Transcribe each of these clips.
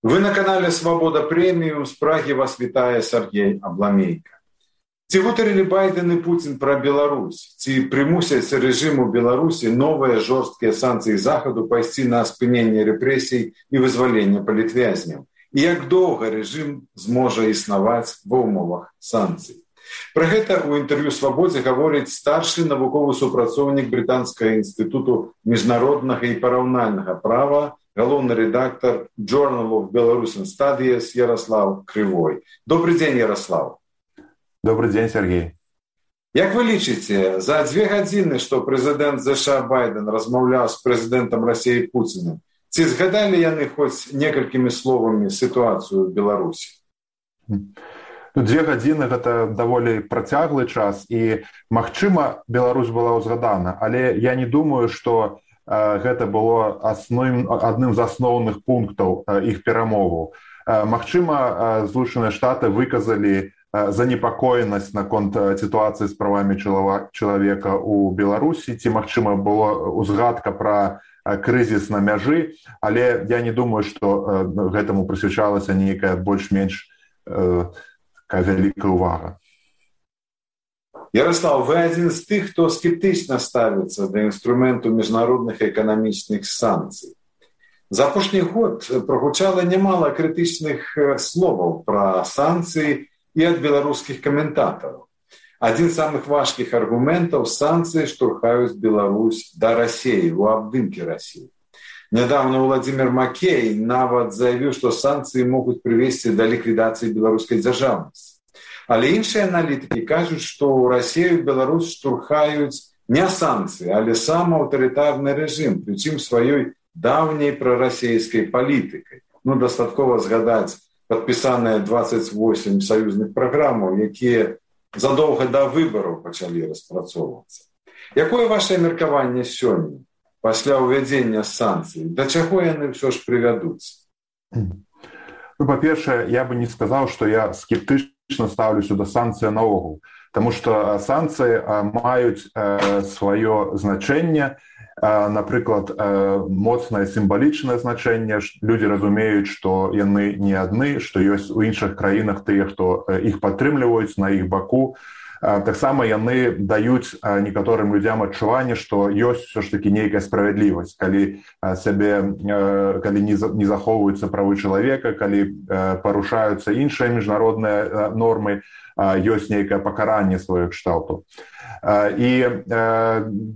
Вы на канале «Свобода премиум». З Прагі вас вітае Сергей Абламейка. Ці гутарылі Байден і Путін пра Беларусь? Ці прымусяць рэжыму Беларусі новыя жорсткія санкцыі Захаду пайсці на спыненне рэпрэсій і вызвалення палітвязняў? І як доўга рэжым зможа існаваць ва ўмовах санкцый? Пра гэта ў інтэрв'ю «Свабодзе» гаворыць старшы навуковы супрацоўнік Брытанскага інстытуту міжнароднага і параўнальнага права, галоўны рэдактар Journal of Belarusian Studies Ярослав Крывой. Добрый дзень, Ярослав. Добрый дзень, Сергей. Як вы лічыце, за 2 гадзіны, што прэзідэнт ЗША Байден размаўляў з прэзідэнтам Расіі Пуцінам, ці згадалі яны хоць некалькімі словамі сітуацыю ў Беларусі? 2 гадзіны – гэта даволі працяглы час, і, магчыма, Беларусь была ўзгадана, але я не думаю, што гэта было адным з асноўных пунктаў іх перамоваў. Магчыма, Злучаныя Штаты выказалі занепакоенасць наконт сітуацыі з правамі чалавека ў Беларусі, ці, магчыма, была ўзгадка пра крызіс на мяжы, але я не думаю, што гэтаму прысвячалася нейкая больш-менш вялікая ўвага. Ярослав, вы адзін з тых, хто скептычна ставіцца да інструменту міжнародных эканамічных санкцый. За апошні год прагучала нямала крытычных словаў пра санкцыі і ад беларускіх каментатараў. Адзін з самых важкіх аргументаў – санкцыі штурхаюць Беларусь да Расіі, у абдымкі Расіі. Нядаўна Владзімір Макей нават заявіў, што санкцыі могуць прывесці да ліквідацыі беларускай дзяржаўнасці. Але іншыя аналітыкі кажуць, што ў Расію і Беларусь штурхаюць не санкцыі, але сам аўтарытарны рэжым, прычым сваёй даўняй прарасійскай палітыкай. Дастаткова згадаць падпісаныя 28 саюзных праграмаў, якія задоўга да выбараў пачалі распрацоўвацца. Якое вашае меркаванне сёння, пасля ўвядзення санкцый? Да чаго яны ўсё ж прывядуць? Па-першае, я бы не сказаў, што я скептычна ставлюся да санкцый наогул, таму што санкцыі маюць сваё значэнне, напрыклад, моцнае сімвалічнае значэнне. Людзі разумеюць, што яны не адны, што ёсць у іншых краінах тыя, хто іх падтрымліваюць на іх баку. Таксама яны даюць некаторым людзям адчуванне, што ёсць ўсё ж такі нейкая справядлівасць, калі не захоўваюцца правы чалавека, калі парушаюцца іншыя міжнародныя нормы, ёсць нейкае пакаранне сваёй кшталту. І,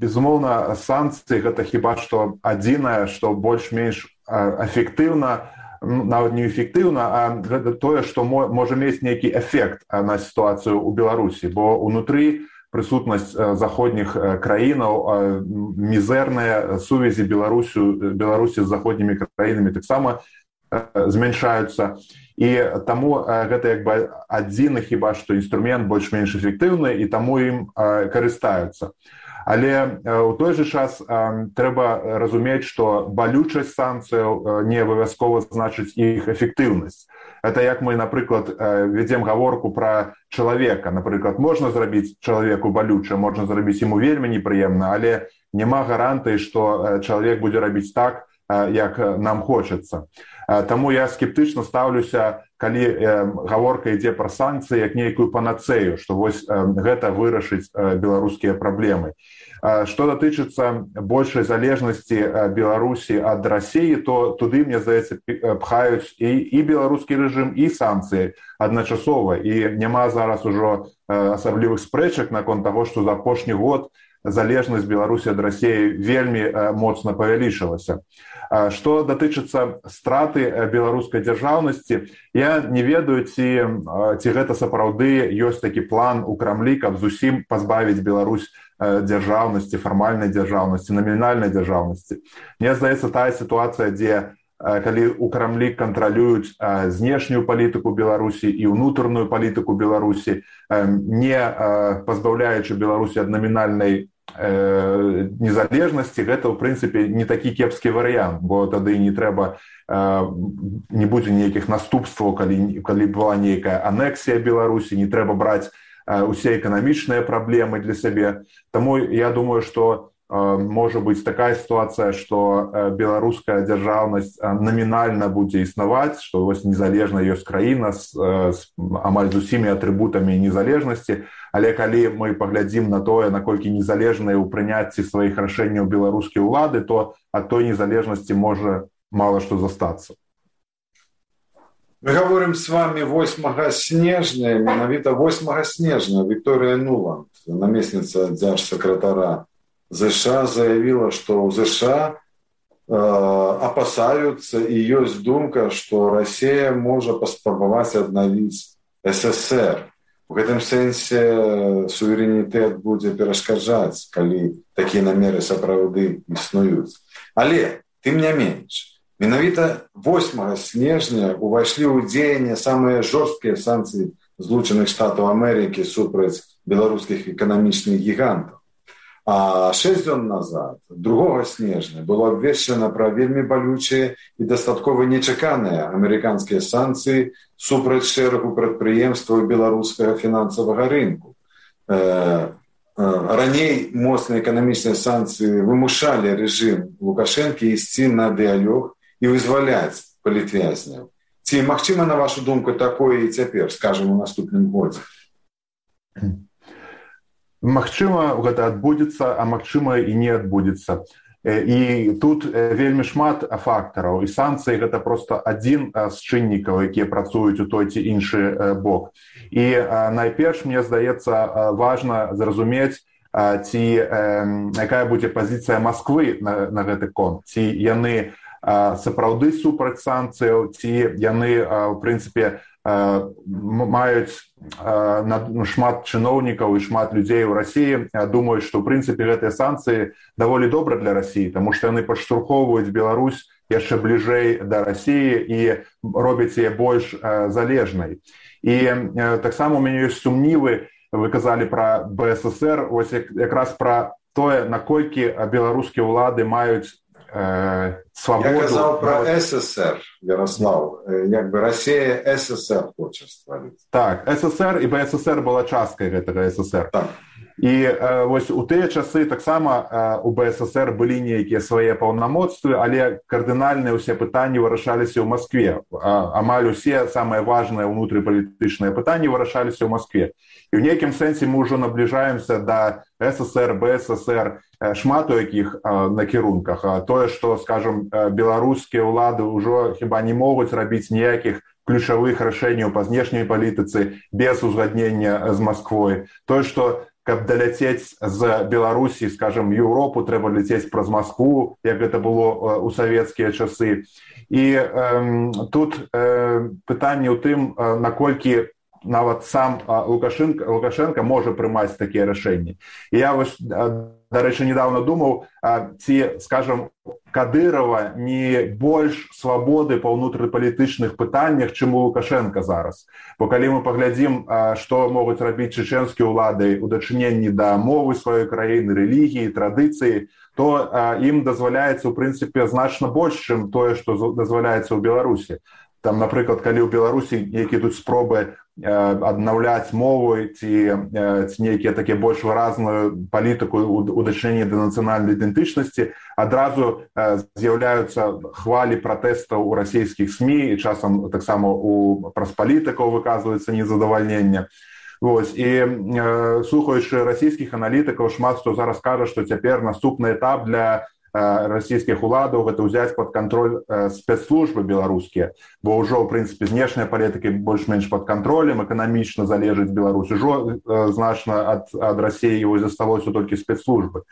безумоўна, санкцыі – гэта хіба што адзінае, што больш-менш эфектыўна, нават не эфектыўна, а гэта тое, што можа мець нейкі эфект на сітуацыю ў Беларусі, бо ўнутры прысутнасць заходніх краінаў, мізэрныя сувязі Беларусі з заходнімі краінамі таксама змяншаюцца. І таму гэта як бы адзіны хіба што інструмент больш-менш эфектыўны, і таму ім карыстаюцца. Але ў той жа час трэба разумець, што балючасць санкцыяў не абавязкова значыць іх эфектыўнасць. Это як мы, напрыклад, вядзем гаворку пра чалавека. Напрыклад, можна зрабіць чалавеку балюча, можна зрабіць яму вельмі непрыемна, але няма гарантыі, што чалавек будзе рабіць так, як нам хочацца. Таму я скептычна ставлюся, калі гаворка ідзе пра санкцыі як нейкую панацею, што вось гэта вырашыць беларускія праблемы. Што датычыцца большай залежнасці Беларусі ад Расіі, то туды, мне здаецца, пхаюць і беларускі рэжым, і санкцыі адначасова. І няма зараз ужо асаблівых спрэчак наконт таго, што за апошні год залежнасць Беларусі ад Расіі вельмі моцна павялічылася. Што датычыцца страты беларускай дзяржаўнасці, я не ведаю, ці гэта сапраўды ёсць такі план у Крамлі, каб зусім пазбавіць Беларусь дзяржаўнасці, фармальнай дзяржаўнасці, намінальнай дзяржаўнасці. Мне здаецца, тая сітуацыя, дзе калі у Крамлі кантралююць знешнюю палітыку Беларусі і ўнутраную палітыку Беларусі, не пазбаўляючы Беларусі ад намінальнай незалежнасці, гэта, ў прынцыпе, не такі кепскі варыянт, бо тады не трэба, не будзе нейкіх наступстваў, калі была нейкая анексія Беларусі, не трэба браць усе эканамічныя праблемы для сябе. Таму я думаю, што можа быць такая сітуацыя, што беларуская дзяржаўнасць намінальна будзе існаваць, што вось незалежна ёсць краіна з амаль з усімі атрыбутамі незалежнасці, але калі мы паглядзім на тое, наколькі незалежныя ў прыняцці сваіх рашэнняў беларускія ўлады, то ад той незалежнасці можа мала што застацца. Мы говорим с вами 8 снежня, менавіта 8 снежня Вікторія Нуланд, намесніца дзяржсакратара США, заявила, што ў США опасаются и есть думка, что Россия может паспрабаваць аднавіць СССР. В гэтым сэнсе суверэнітэт будзе перашкаджаць, калі такія намеры сапраўды існуюць. Але, тым не менш, менавіта 8 снежня увайшлі ў дзеянне самыя жорсткія санкцыі Злучаных Штатаў Амерыкі супраць беларускіх эканамічных гігантаў. А 6 дзён назад, 2 снежня, было абвешчана пра вельмі балючыя і дастаткова нечаканыя амерыканскія санкцыі супраць шэрагу прадпрыемстваў беларускага фінансавага рынку. Раней моцныя эканамічныя санкцыі вымушалі рэжым Лукашэнкі ісці на дыялог і вызваляць палітвязняў. Ці магчыма, на вашу думку, такое і цяпер, скажам, у наступным годзе? Магчыма, гэта адбудзецца, а магчыма і не адбудзецца. І тут вельмі шмат фактараў, і санкцыі гэта проста адзін з чыннікаў, якія працуюць у той ці іншы бок. І найперш, мне здаецца, важна зразумець, ці якая будзе пазіцыя Масквы на гэты конт, ці яны сапраўды супраць санкцыяў, ці яны, у прынцыпе, маюць шмат чыноўнікаў і шмат людзей у Расіі думаюць, што, у прынцыпе, гэтыя санкцыі даволі добра для Расіі, таму што яны падштурхоўваюць Беларусь яшчэ бліжэй да Расіі і робяць яе больш залежнай. І таксама у мяне ёсць сумнівы, вы казалі пра БССР, ось якраз пра тое, наколькі беларускія ўлады маюць свободу. Я казал про СССР, Ярослав. Як бы Россия СССР хочет стварыць. Так, СССР и БССР была часткай гэтага СССР. Так. І вось у тыя часы таксама у БССР былі нейкія свае паўнамоцтвы, але кардынальныя ўсе пытанні вырашаліся ў Маскве. Амаль усе самыя важныя ўнутрыпалітычныя пытанні вырашаліся ў Маскве. І ў нейкім сэнсе мы ўжо набліжаемся да СССР, БССР, шмат у якіх накірунках. Тое, што, скажам, беларускія ўлады ўжо хіба не могуць рабіць ніякіх ключавых рашэнняў па знешняй палітыцы без узгаднення з Масквой. Тое, што каб даляцець з Беларусі, скажам, Еўропу, трэба ляцець праз Маскву, як гэта было ў савецкія часы. І тут пытанне ў тым, наколькі нават сам Лукашенко можа прымаць такія рашэнні. І я вось, дарэчы, недавно думаў, ці, скажам, Кадырова не больш свабоды па ўнутрыпалітычных пытаннях, чым у Лукашенко зараз. Бо калі мы паглядзім, што могуць рабіць чэчэнскія ўлады ў дачыненні да мовы сваёй краіны, рэлігіі, традыцыі, то ім дазваляецца, у прынцыпе, значна больш, чым тое, што дазваляецца ў Беларусі. Там, напрыклад, калі ў Беларусі нейкія тут спробы аднаўляць мову ці нейкія такія больш выразную палітыку ў дачыненні да нацыянальнай ідэнтычнасці, адразу з'яўляюцца хвалі пратэстаў у расійскіх СМІ, і часам таксама праз палітыкаў выказваецца незадавальненне. Вось. І слухаючы расійскіх аналітыкаў, шмат хто зараз кажа, што цяпер наступны этап для расійскіх уладаў гэта ўзяць пад кантроль спецслужбы беларускія, бо ўжо, ў прынцыпе, знешняя палітыка больш-менш пад кантролем, эканамічна залежыць Беларусь, ужо значна ад Расіі засталося толькі спецслужбы.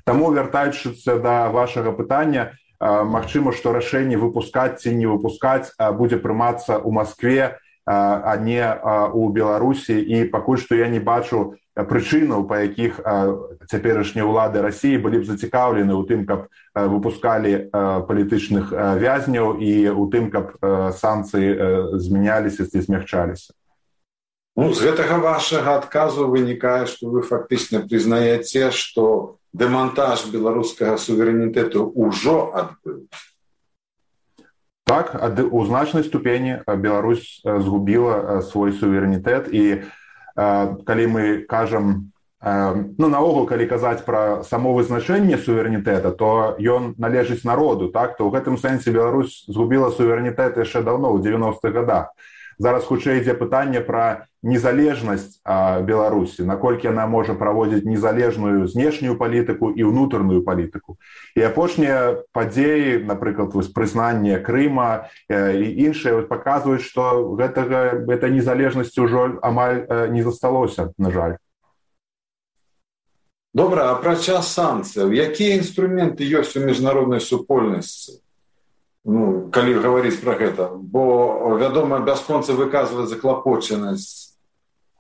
Таму, вяртаючыся да вашага пытання, магчыма, што рашэнне выпускаць ці не выпускаць будзе прымацца ў Маскве, а не у Беларусі, і пакуль што я не бачу прычынаў, па якіх цяперашнія ўлады Расіі былі б зацікаўлены ў тым, каб выпускалі палітычных вязняў і ў тым, каб санкцыі змяняліся ці змягчаліся. Ну, з гэтага вашага адказу вынікае, што вы фактычна прызнаеце, што дэмантаж беларускага суверэнітэту ўжо адбыўся. Так, у значнай ступені Беларусь згубіла свой суверэнітэт, і калі мы кажам ну, наогул, калі казаць пра само вызначэнне суверэнітэта, то ён належыць народу, так? То ў гэтым сэнсе Беларусь згубіла суверэнітэт яшчэ даўно, ў 90-х годах. Зараз хутчэй ідзе пытанне пра незалежнасць Беларусі, наколькі яна можа праводзіць незалежную знешнюю палітыку і ўнутраную палітыку. І апошнія падзеі, напрыклад, прызнанне Крыма і іншыя паказваюць, што гэтай незалежнасці ўжо амаль не засталося, на жаль. Добра, апрача санкцыяў, якія інструменты ёсць у міжнароднай супольнасці? Ну, калі гаварыць пра гэта, бо, вядома, бясконца выказваць заклапочанасць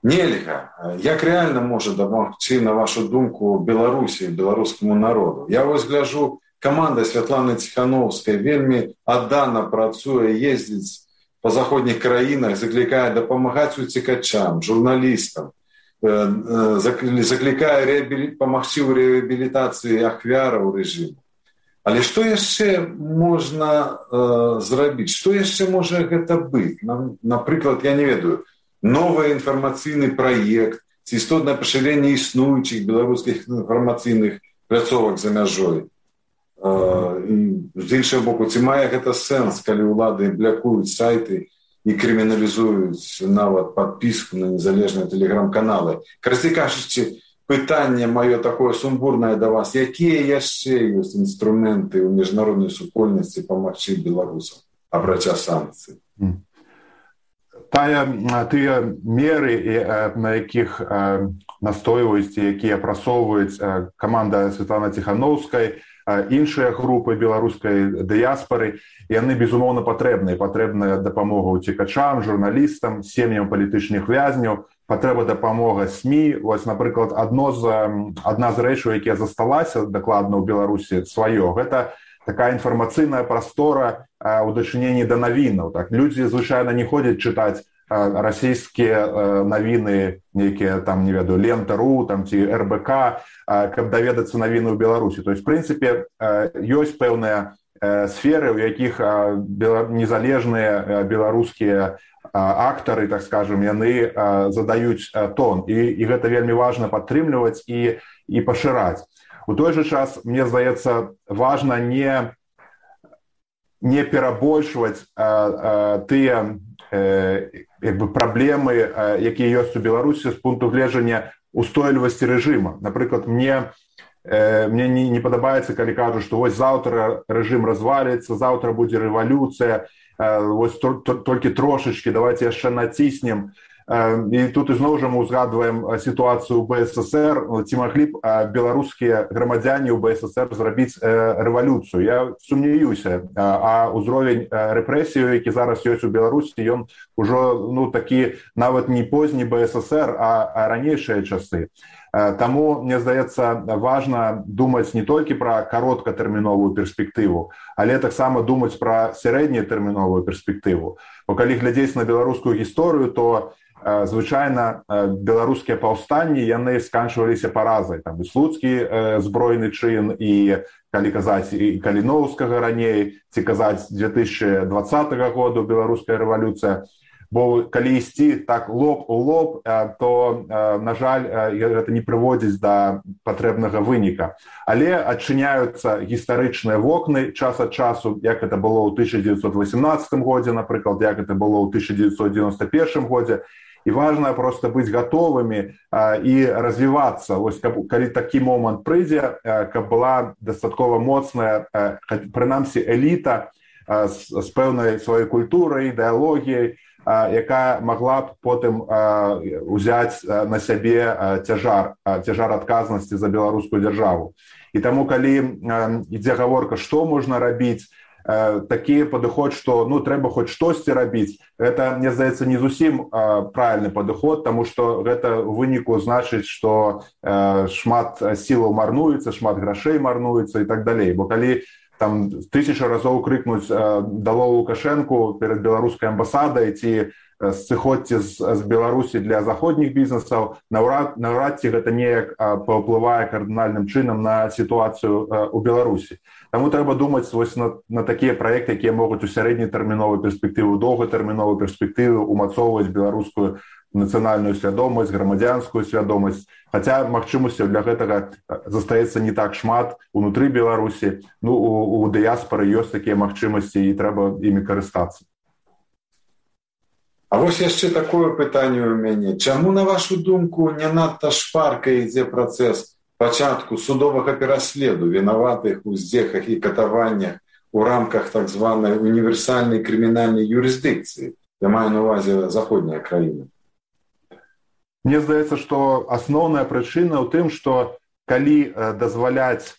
нельга. Як рэальна можа дапамагчы, на вашу думку, Беларусі, беларускаму народу? Я вось гляжу, каманда Святланы Ціхановскай вельмі аддана працуе, ездзіць па заходніх краінах, заклікае дапамагаць уцекачам, журналістам, заклікае памагчы ў рэабілітацыі ахвяраў рэжыму. Але што яшчэ можна зрабіць? Што яшчэ можа гэта быць? Напрыклад, я не ведаю, новы інфармацыйны праект ці істотнае пашырэнне існуючых беларускіх інфармацыйных пляцовак за мяжой. З іншага боку, ці мае гэта сэнс, калі ўлады блякуюць сайты і крыміналізуюць нават падпіску на незалежныя тэлеграм-каналы. Карацей кажучы, пытанне маё такое сумбурнае да вас. Якія яшчэ ёсць інструменты ў міжнароднай супольнасці памагчы беларусам, апрача санкцый? Тыя меры, на якіх настойваюць, якія прасоўваюць каманда Святланы Ціхановскай, іншыя групы беларускай дыяспары, яны, безумоўна, патрэбная дапамога уцекачам, журналістам, сем'ям палітычных вязняў, патрэба дапамога СМІ. Вось, напрыклад, адна з рэчаў, якія засталася дакладна ў Беларусі сваё, гэта такая інфармацыйная прастора ў дачыненні да навінаў. Так, людзі звычайна не ходзяць чытаць расійскія навіны, нейкія там, не ведаю, Лента.ру там ці РБК, каб даведацца навіны ў Беларусі. То есть, в прынцыпе, ёсць пэўныя сферы, у якіх незалежныя беларускія актары, так скажем, яны задаюць тон. І гэта вельмі важна падтрымліваць і пашыраць. У той жа час, мне здаецца, важна не перабольшваць тыя праблемы, якія ёсць у Беларусі з пункту гледжання устойлівасці рэжыма. Напрыклад, мне не падабаецца, калі кажуць, што вось заўтра рэжым разваліцца, заўтра будзе рэвалюцыя, вось толькі трошачкі, давайте яшчэ націснем. І тут ізноў жа мы ўзгадваем сітуацыю ў БССР, ці маглі б беларускія грамадзяне ў БССР зрабіць рэвалюцыю. Я сумнеюся, а ўзровень рэпрэсіяў, які зараз ёсць у Беларусі, ён ужо такі нават не позні БССР, а ранейшыя часы. Таму, мне здаецца, важна думаць не толькі пра кароткатэрміновую перспектыву, але таксама думаць пра сярэднетэрміновую перспектыву. Бо калі глядзець на беларускую гісторыю, то звычайна беларускія паўстанні, яны сканчваліся паразай. Там і слуцкі збройны чын, і калі казаць і Каліноўскага раней, ці казаць 2020 году беларуская рэвалюцыя. Бо калі ісці так лоб у лоб, то, на жаль, гэта не прыводзіць да патрэбнага выніка. Але адчыняюцца гістарычныя вокны час ад часу, як это было ў 1918 годзе, напрыклад, як это было ў 1991 годзе. І важна проста быць гатовымі і развівацца. Вось, калі такі момант прыйдзе, каб была дастаткова моцная, прынамсі, эліта з пэўнай сваёй культурай, ідэалогіяй, якая магла б потым узяць на сябе цяжар адказнасці за беларускую дзяржаву. І таму, калі ідзе гаворка, што можна рабіць, такі падыход, што трэба хоць штосьці рабіць, гэта, мне здаецца, не зусім правільны падыход, таму што гэта ў выніку значыць, што шмат сілаў марнуецца, шмат грашэй марнуецца і так далей. Бо калі там 1000 разоў крыкнуць «Дало Лукашэнку» перад беларускай амбасадай ці сыходзьце з Беларусі для заходніх бізнесаў, наўрад ці гэта неяк паўплывае кардынальным чынам на сітуацыю ў Беларусі. Таму трэба думаць вось на такія праекты, якія могуць у сярэднетэрміновай перспектывы, доўгатэрміновай перспектывы ўмацоўваць беларускую нацыянальную свядомасць, грамадзянскую свядомасць, хаця магчымасцяў для гэтага застаецца не так шмат унутры Беларусі. Ну, у дыяспары ёсць такія магчымасці і трэба імі карыстацца. А вось яшчэ такое пытанне ў мяне. Чаму, на вашу думку, не надта шпарка ідзе працэс пачатку судовага пераследу вінаватых у здзеках і катаваннях у рамках так званай універсальнай крымінальнай юрысдыкцыі? Я маю на ўвазе заходнія краіны. Мне здаецца, што асноўная прычына ў тым, што калі дазваляць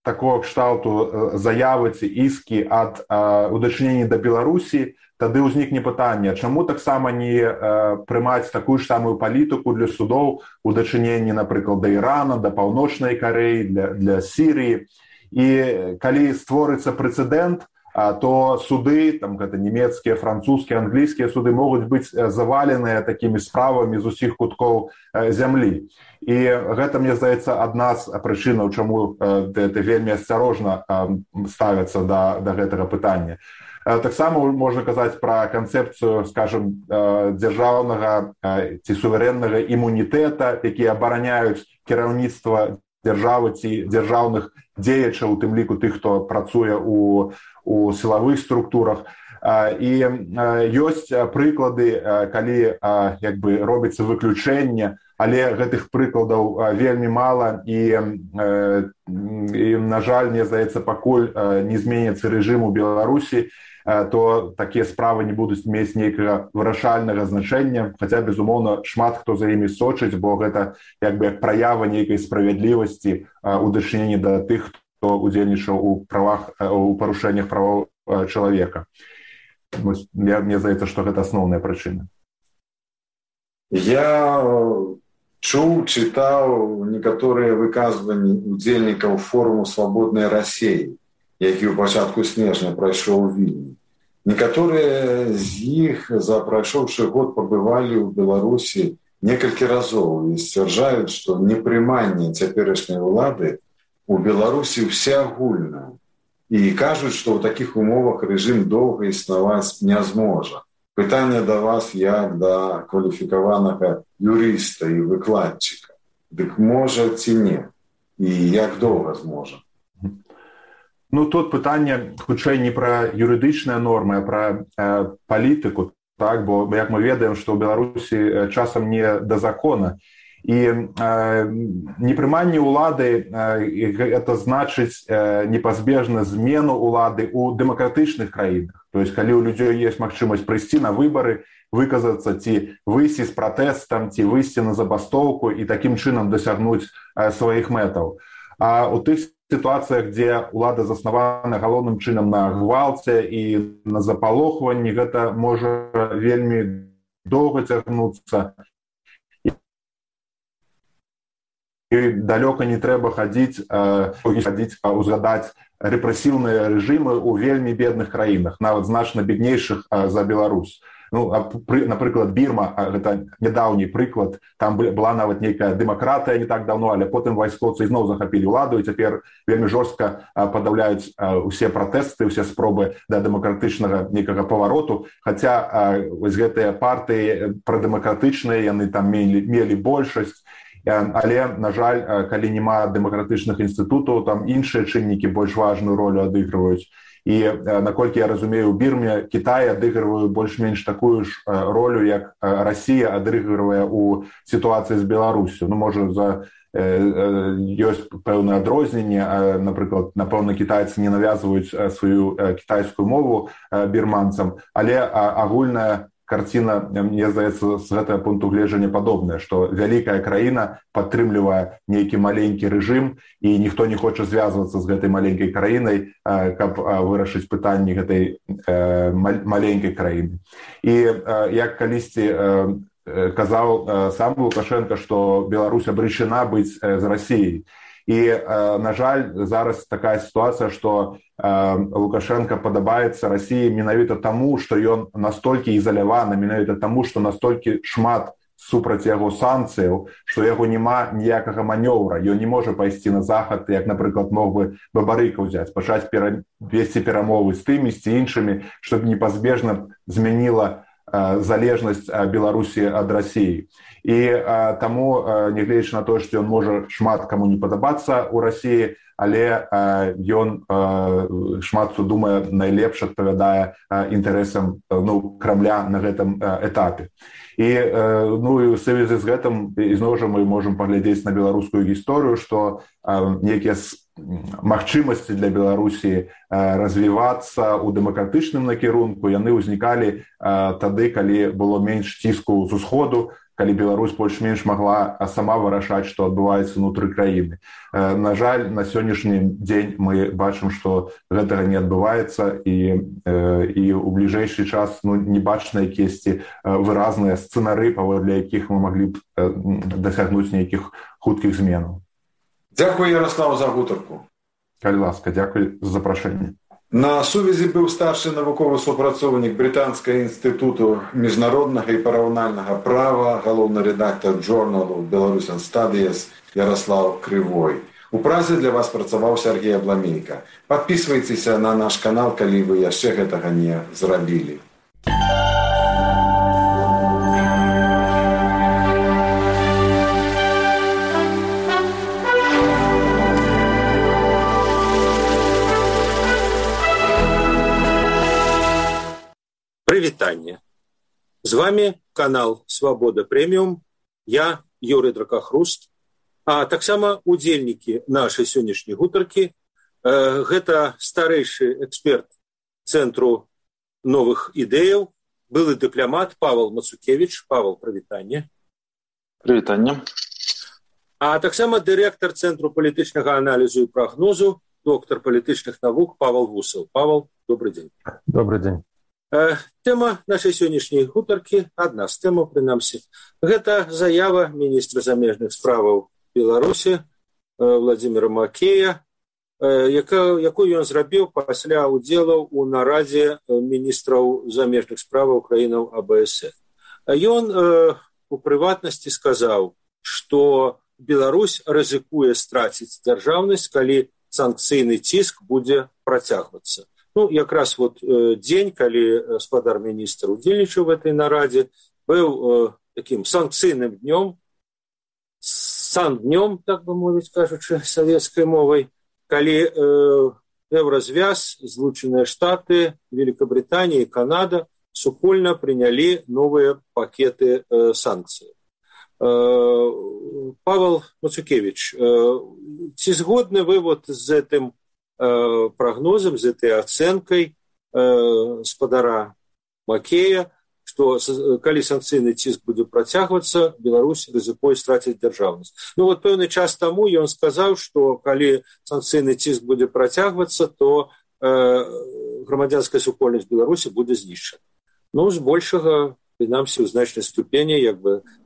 такого кшталту заявы ці іскі ад у дачыненні да Беларусі, тады ўзнікне пытанне, чаму таксама не прымаць такую ж самую палітыку для судоў у дачыненні, напрыклад, да Ірана, да Паўночнай Карэі, для Сірыі. І калі створыцца прэцэдэнт, то суды, там гэта нямецкія, французскія, англійскія суды могуць быць заваленыя такімі справамі з усіх куткоў зямлі. І гэта, мне здаецца, адна з прычынаў, чаму гэта вельмі асцярожна ставяцца да гэтага пытання. Таксама можна казаць пра канцэпцыю, скажем, дзяржаўнага ці суверэннага імунітэта, якія абараняюць кіраўніцтва дзяржавы ці дзяржаўных дзеячаў, у тым ліку тых, хто працуе у сілавых структурах. І ёсць прыклады, калі робіцца выключэнне, але гэтых прыкладаў вельмі мала, і на жаль, мне здаецца, пакуль не зменіцца рэжым у Беларусі, то такія справы не будуць мець нейкага вырашальнага значэння, хаця, безумоўна, шмат хто за імі сочыць, бо гэта як праява нейкай справядлівасці у дачыненні да тых, хто удзельнічаў у парушэннях правоў чалавека. Мне здаецца, што гэта асноўная прычына. Я чуў, чытаў некаторыя выказванні удзельнікаў форуму «Свабоднай Расіі», які ў пачатку снежня прайшоў у Вільні. Некаторыя з іх за прайшоўшы год пабывалі ў Беларусі некалькі разоў і сцвярджаюць, што непрыманне цяперашняй улады у Беларусі ўсеагульнае. І кажуць, што ў такіх умовах рэжым доўга існаваць не зможа. Пытанне да вас як да кваліфікаванага юрыста і выкладчыка. Дык можа ці не? І як доўга зможа? Ну, тут пытанне хутчэй не пра юрыдычныя нормы, а пра палітыку, так? Бо, як мы ведаем, што ў Беларусі часам не да закона. І непрыманне ўлады гэта значыць непазбежна змену ўлады ў дэмакратычных краінах. То есть, калі ў людзей ёсць магчымасць прыйсці на выбары, выказацца ці выйсці з пратэстам, ці выйсці на забастоўку і такім чынам дасягнуць сваіх мэтаў. А ў тых сітуацыях, дзе ўлада заснавана галоўным чынам на гвалце і на запалохванні, гэта можа вельмі доўга цягнуцца. І далёка не трэба хадзіць, узгадаць рэпрэсіўныя рэжымы ў вельмі бедных краінах, нават значна беднейшых за Беларусь. Ну, напрыклад, Бірма, гэта нядаўні прыклад, там была нават нейкая дэмакратыя не так даўно, але потым вайскоўцы ізноў захапілі ўладу, і цяпер вельмі жорстка падаўляюць усе пратэсты, усе спробы да дэмакратычнага нейкага павароту, хаця вось гэтыя партыі прадэмакратычныя, яны там мелі большасць, але, на жаль, калі няма дэмакратычных інстытутаў, там іншыя чыннікі больш важную ролю адыгрываюць. І, наколькі я разумею, у Бірме Кітай адыгрывае больш-менш такую ж ролю, як Расія адыгрывае ў сітуацыі з Беларусю. Ну, можа, ёсць пэўнае адрозненне, напрыклад, напэўна, кітайцы не навязваюць сваю кітайскую мову бірманцам, але агульная карціна, мне здаецца, з гэтага пункту гледжання падобная, што вялікая краіна падтрымлівае нейкі маленькі рэжым, і ніхто не хоча звязвацца з гэтай маленькай краінай, каб вырашыць пытанні гэтай маленькай краіны. І як калісьці казаў сам Лукашенко, што Беларусь абречана быць з Расіяй. І, на жаль, зараз такая сітуацыя, што Лукашенко падабаецца Расіі менавіта таму, што ён настолькі ізаляваны, менавіта таму, што настолькі шмат супраць яго санкцыяў, што яго няма ніякага манёвра. Ён не можа пайсці на захад, як, напрыклад, мог бы Бабарыка ўзяць, пачаць весці перамовы з тымі, з іншымі, што непазбежна змяніла залежнасць Беларусі ад Расіі. І таму, нягледзячы на тое, што ён можа шмат каму не падабацца ў Расіі, але ён шмат хто думае найлепш адпавядае інтарэсам Крамля на гэтым этапе. І у сувязі з гэтым ізноў жа мы можам паглядзець на беларускую гісторыю, што некія магчымасці для Беларусі развівацца ў дэмакратычным накірунку яны ўзнікалі тады, калі было менш ціску з усходу, калі Беларусь больш-менш магла сама вырашаць, што адбываецца ўнутры краіны. На жаль, на сённяшні дзень мы бачым, што гэтага не адбываецца і ў бліжэйшы час не бачна якісьці выразныя сцэнары, паводле якіх мы маглі б дасягнуць нейкіх хуткіх зменаў. Дзякую, Ярослав, за гутарку. Калі ласка, дзякуй за запрашэнне. На сувязі быў старшы навуковы супрацоўнік Брытанскага інстытуту міжнароднага і параўнальнага права, галоўны рэдактар журналу Belarusian Studies Ярослав Крывой. У Празе для вас працаваў Сергей Абламейка. Падпісвайцеся на наш канал, калі вы яшчэ гэтага не зрабілі. Прывітанне. З вами канал Свабода Прэміум. Я Юрый Дракахруст. А таксама удзельнікі нашай сённяшняй гутаркі. Гэта старэйшы эксперт Цэнтру новых ідэяў, былы дыпламат Павел Мацукевич. Павел, прывітанне. Прывітанне. А таксама дырэктар Цэнтру палітычнага аналізу і прагнозу, доктар палітычных навук Павел Вусаў. Павел, добрый дзень. Добрый дзень. Тэма нашай сённяшняй гутаркі, адна з тэмаў, прынамсі, гэта заява міністра замежных справаў Беларусі Владзіміра Макея, якую ён зрабіў пасля удзелаў у нарадзе міністраў замежных справаў краінаў АБС. Ён у прыватнасці сказаў, што Беларусь рызыкуе страціць дзяржаўнасць, калі санкцыйны ціск будзе працягвацца. Якраз дзень, калі гаспадар міністр удзельнічаў в этой нарадзе, быў таким санкцыйным днём, сан-днём, так бы мовіць, кажучы савецкай мовай, калі Еўразвяз, Злучаныя Штаты, Великабританія і Канада супольна прынялі новыя пакеты санкцый. Павел Мацукевич, ці згодны вы з гэтым прогнозам, з этой ацэнкай гаспадара Макея, што калі санкцыйны ціск будзе працягвацца, Беларусь рызыкуе страціць дзяржаўнасць. Пэўны час таму ён сказаў, што калі санкцыйны ціск будзе працягвацца, то грамадзянская супольнасць Беларусі будзе знішчана. З большага, прынамсі, у значнай ступені,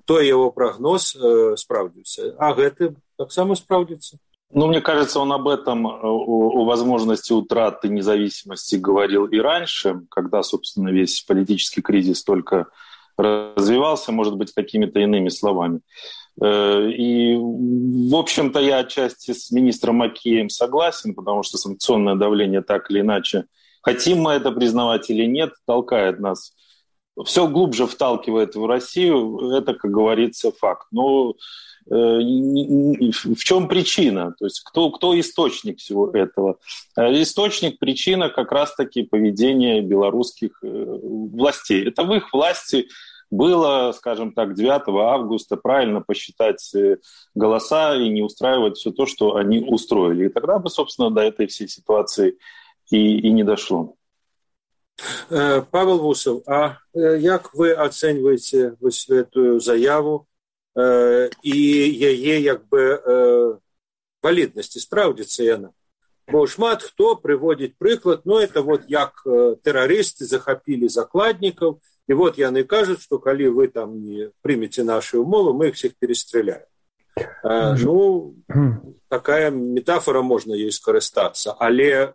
той яго прогноз спраўдзіўся. А гэты таксама спраўдзіцца? Мне кажется, он об этом, о возможности утраты независимости говорил и раньше, когда, собственно, весь политический кризис только развивался, может быть, какими-то иными словами. И, в общем-то, я отчасти с министром Макеем согласен, потому что санкционное давление так или иначе, хотим мы это признавать или нет, толкает нас, все глубже вталкивает в Россию, это, как говорится, факт. Но в чем причина? То есть кто источник всего этого? Источник, причина как раз-таки поведения белорусских властей. Это в их власти было, скажем так, 9 августа правильно посчитать голоса и не устраивать все то, что они устроили. И тогда бы, собственно, до этой всей ситуации и не дошло. Павел Вусаў, а як вы ацэньваеце эту заяву і яе валіднасці, спраўдзіцца яна? Бо шмат хто прыводзіць прыклад, это як тэрарысты захапілі закладнікаў, і яны кажуць, што калі вы там не прымеце нашы ўмовы, мы іх всіх перастраляем. Такая метафора, можна ёй скарыстацца, але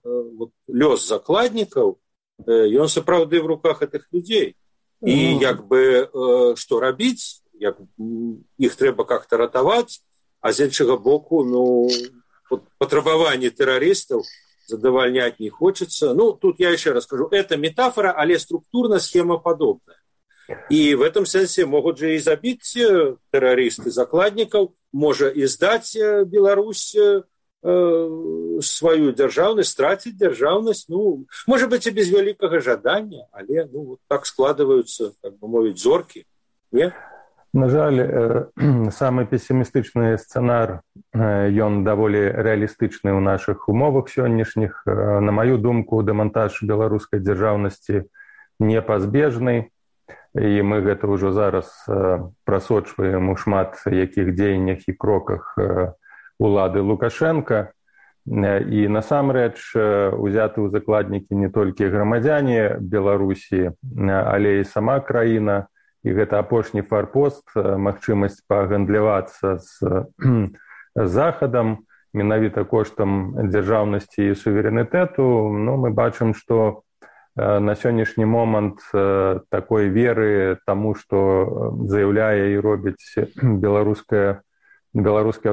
лёс закладнікаў, ён сапраўды в руках гэтых людзей. І што рабіць? Іх трэба как-то ратаваць, а з іншага боку, патрабаванні тэрарыстаў задавальняць не хочется. Тут я еще раз скажу, это метафора, але структурна схема подобная. И в этом смысле могут же и забить террористы закладников, можа и сдать Беларусь свою державность, стратить державность, ну, может быть, и без великого жадания, але, ну, вот так складываются, как бы мовить, зорки, нет? На жаль, самый пессимістычны сцэнар, ён даволі рэалістычны ў нашых умовах сённяшніх. На маю думку, дэмантаж беларускай дзяржаўнасці непазбежны, і мы гэта ўжо зараз прасочваем у шмат якіх дзеяннях і кроках улады Лукашенка. І насамрэч узяты ў закладнікі не толькі грамадзяне Беларусі, але і сама краіна. І гэта апошні фарпост, магчымасць пагандлявацца з захадам, менавіта коштам дзяржаўнасці і суверэнітэту. Ну, мы бачым, што на сённяшні момант такой веры таму, што заяўляе і робіць беларускі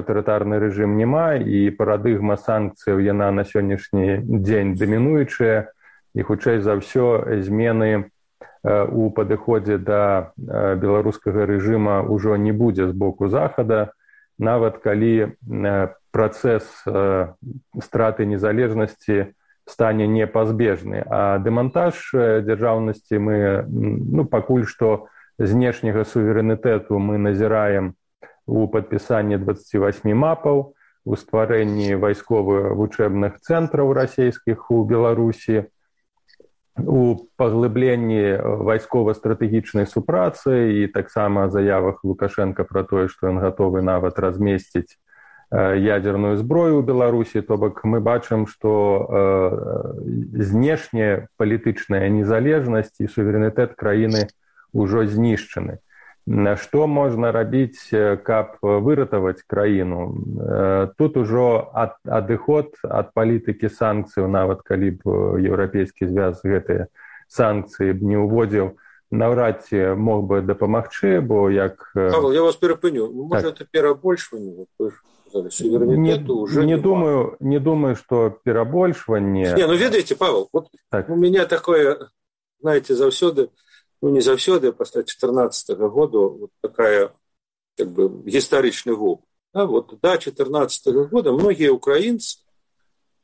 аўтарытарны рэжым няма, і парадыгма санкцыяў яна на сённяшні дзень дамінуючая, і хутчэй за ўсё змены у падыходзе да беларускага рэжыма ўжо не будзе з боку захада, нават калі працэс страты незалежнасці стане непазбежны. А дэмантаж дзяржаўнасці мы, ну, пакуль што знешняга суверэнітэту мы назіраем у падпісанні 28 мапаў, у стварэнні вайсковых вучэбных цэнтраў расійскіх у Беларусі, у паглыбленні вайскова-стратэгічнай супрацы і таксама заявах Лукашенка пра тое, што ён гатовы нават размесціць ядерную зброю ў Беларусі. То бок мы бачым, што знешняя палітычная незалежнасць і суверэнітэт краіны ўжо знішчаны. Што можна рабіць, каб выратаваць краіну? Тут ужо адыход ад палітыкі санкцыяў, нават калі б еўрапейскі звяз гэтыя санкцыі б не ўводзіў, наўрад ці мог бы дапамагчы, бо як... Павел, я вас перапыню. Можа, это перабольшванне? Суверэнітэту уже не думаю, что перабольшванне... Не, ну ведаеце, Павел, вот так. У меня такое, знаете, заўсёды, ну не заўсёды, пасля 14-го года вот такая, как бы, гістарычны вопыт. Да, вот до 14-го года многие украинцы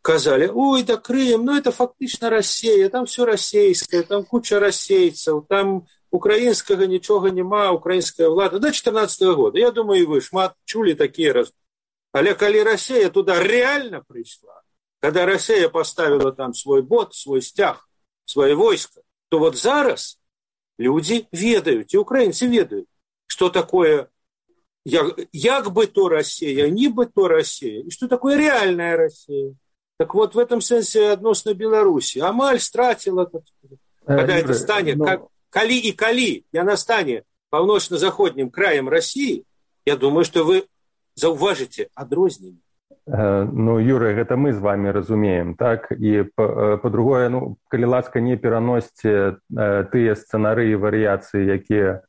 казали, ой, да Крым, ну это фактично Россия, там все российское, там куча российцев, там украинского ничего нема, украинская влада. До 14-го года, я думаю, и вы шмат чули такие раз. Але коли Россия туда реально пришла, когда Россия поставила там свой бот, свой стяг, свое войско, то вот зараз люди ведают, и украинцы ведают, что такое як бы то Россия, не бы то Россия, и что такое реальная Россия. Так вот, в этом смысле относно Беларуси. Амаль стратила, когда это станет, коли яна стане паўночна-заходнім краем России, я думаю, что вы заўважыце адрозненне. Ну, Юрый, гэта мы з вами разумеем, так? І па-другое, ну, калі ласка, не пераносьце тыя сцэнары і варыяцыі, якія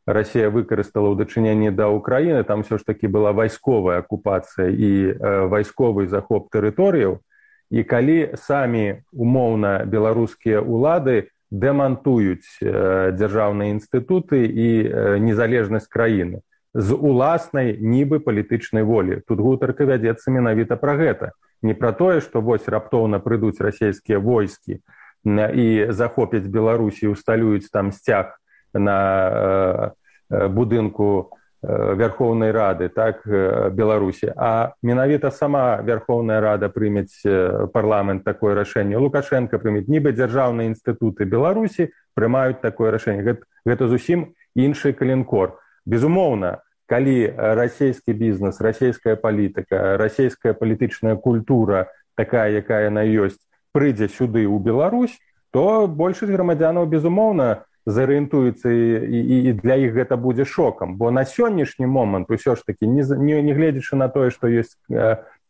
Россия выкарыстала ў дачыненні да Украіны, там все ж таки была вайсковая акупацыя і вайсковы захоп тэрыторыяў, і калі самі умоўна беларускія улады дэмантуюць дзяржаўныя інстытуты і незалежнасць краіны з уласнай нібы палітычнай волі. Тут гутарка вядзецца менавіта пра гэта. Не пра тое, што вось раптоўна прыйдуць расійскія войскі і захопяць Беларусі і усталююць там сцяг на будынку Верховнай Рады, так, Беларусі, а менавіта сама Верховная Рада прымець парламент такое рашэнне. Лукашенко прымець, нібы дзяржаўныя інстытуты Беларусі прымаюць такое рашэнне. Гэта зусім іншы калінкор. Безумоўна, калі расійскі бізнес, расійская палітыка, расійская палітычная культура, такая, якая яна ёсць, прыйдзе сюды ў Беларусь, то большасць грамадзянаў, безумоўна, зарыентуецца, і для іх гэта будзе шокам. Бо на сённяшні момант усё ж такі, не гледзячы на тое, што ёсць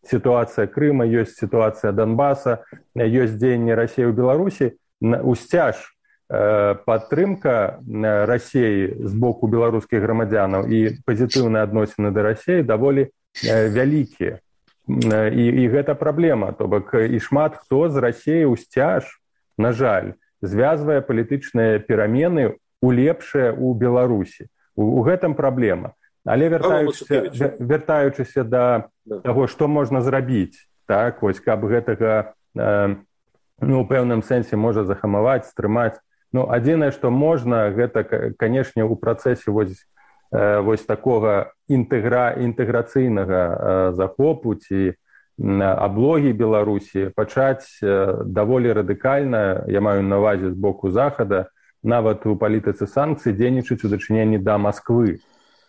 сітуацыя Крыма, ёсць сітуацыя Донбаса, ёсць дзеянне Расіі ў Беларусі, усцяж падтрымка Расіі з боку беларускіх грамадзянаў і пазітыўныя адносіны да Расіі даволі вялікія. І гэта праблема. То бок і шмат хто з Расіі ўсцяж, на жаль, звязвае палітычныя перамены у лепшае ў Беларусі. У гэтым праблема. Але вяртаючыся да таго, што можна зрабіць, так, вось, каб гэтага у пэўным сэнсе можа захамаваць, стрымаць. Адзінае, што можна, гэта, канешне, у працэсе вось такога інтэграцыйнага захопу ці аблогі Беларусі пачаць даволі радыкальна, я маю на ўвазе з боку Захада, нават у палітыцы санкцый дзейнічаць у дачыненні да Масквы,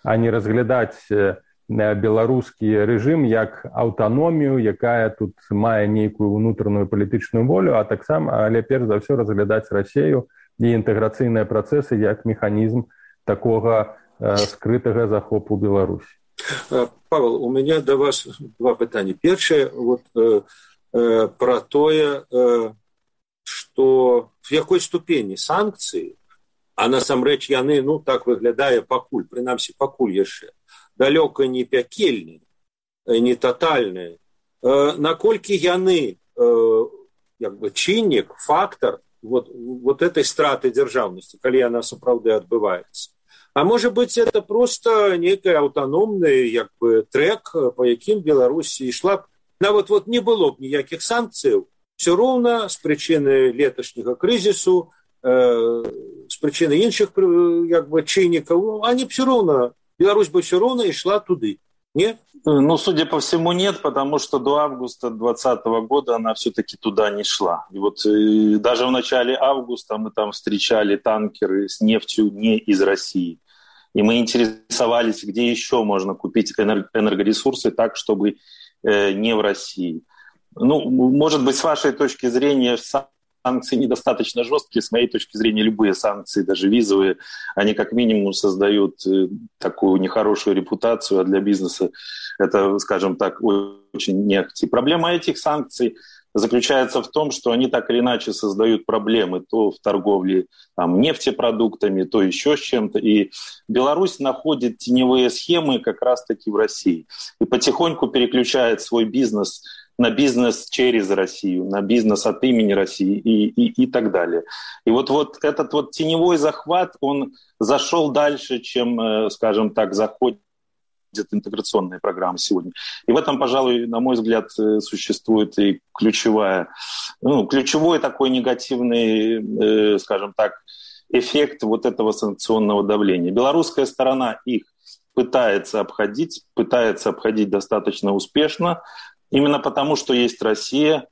а не разглядаць беларускі рэжым як аўтаномію, якая тут мае нейкую ўнутраную палітычную волю, а таксама, але перш за ўсё разглядаць Расію і інтэграцыйныя працэсы як механізм такога скрытага захопу Беларусі. Павел, у меня до вас два пытания. Первое, про тое, что в якой ступені санкцыі, а насамрэч яны, так выглядае пакуль, прынамсі пакуль яшчэ, далёка не пякельныя, не татальныя, наколькі яны чыннік, фактор вот этой страты дзяржаўнасці, калі яна сапраўды адбываецца. А может быть, это просто некий автономный трек, по яким Беларусь шла. Вот не было б ніяких санкций, все ровно с причины леташняга кризису, с причины іншых чинников, они все равно, Беларусь бы все равно и шла туды. Нет? Судя по всему, нет, потому что до августа 2020 года она все-таки туда не шла. И даже в начале августа мы там встречали танкеры с нефтью не из России. И мы интересовались, где еще можно купить энергоресурсы так, чтобы не в России. Может быть, с вашей точки зрения, санкции недостаточно жесткие. С моей точки зрения, любые санкции, даже визовые, они как минимум создают такую нехорошую репутацию, а для бизнеса это, скажем так, очень не активно. Проблема этих санкций заключается в том, что они так или иначе создают проблемы то в торговле нефтепродуктами, то еще с чем-то. И Беларусь находит теневые схемы как раз-таки в России. И потихоньку переключает свой бизнес на бизнес через Россию, на бизнес от имени России и так далее. И вот этот теневой захват, он зашел дальше, чем, скажем так, заходит интеграционная программа сегодня. И в этом, пожалуй, на мой взгляд, существует и ключевой такой негативный, скажем так, эффект вот этого санкционного давления. Белорусская сторона их пытается обходить достаточно успешно, именно потому, что есть Россия.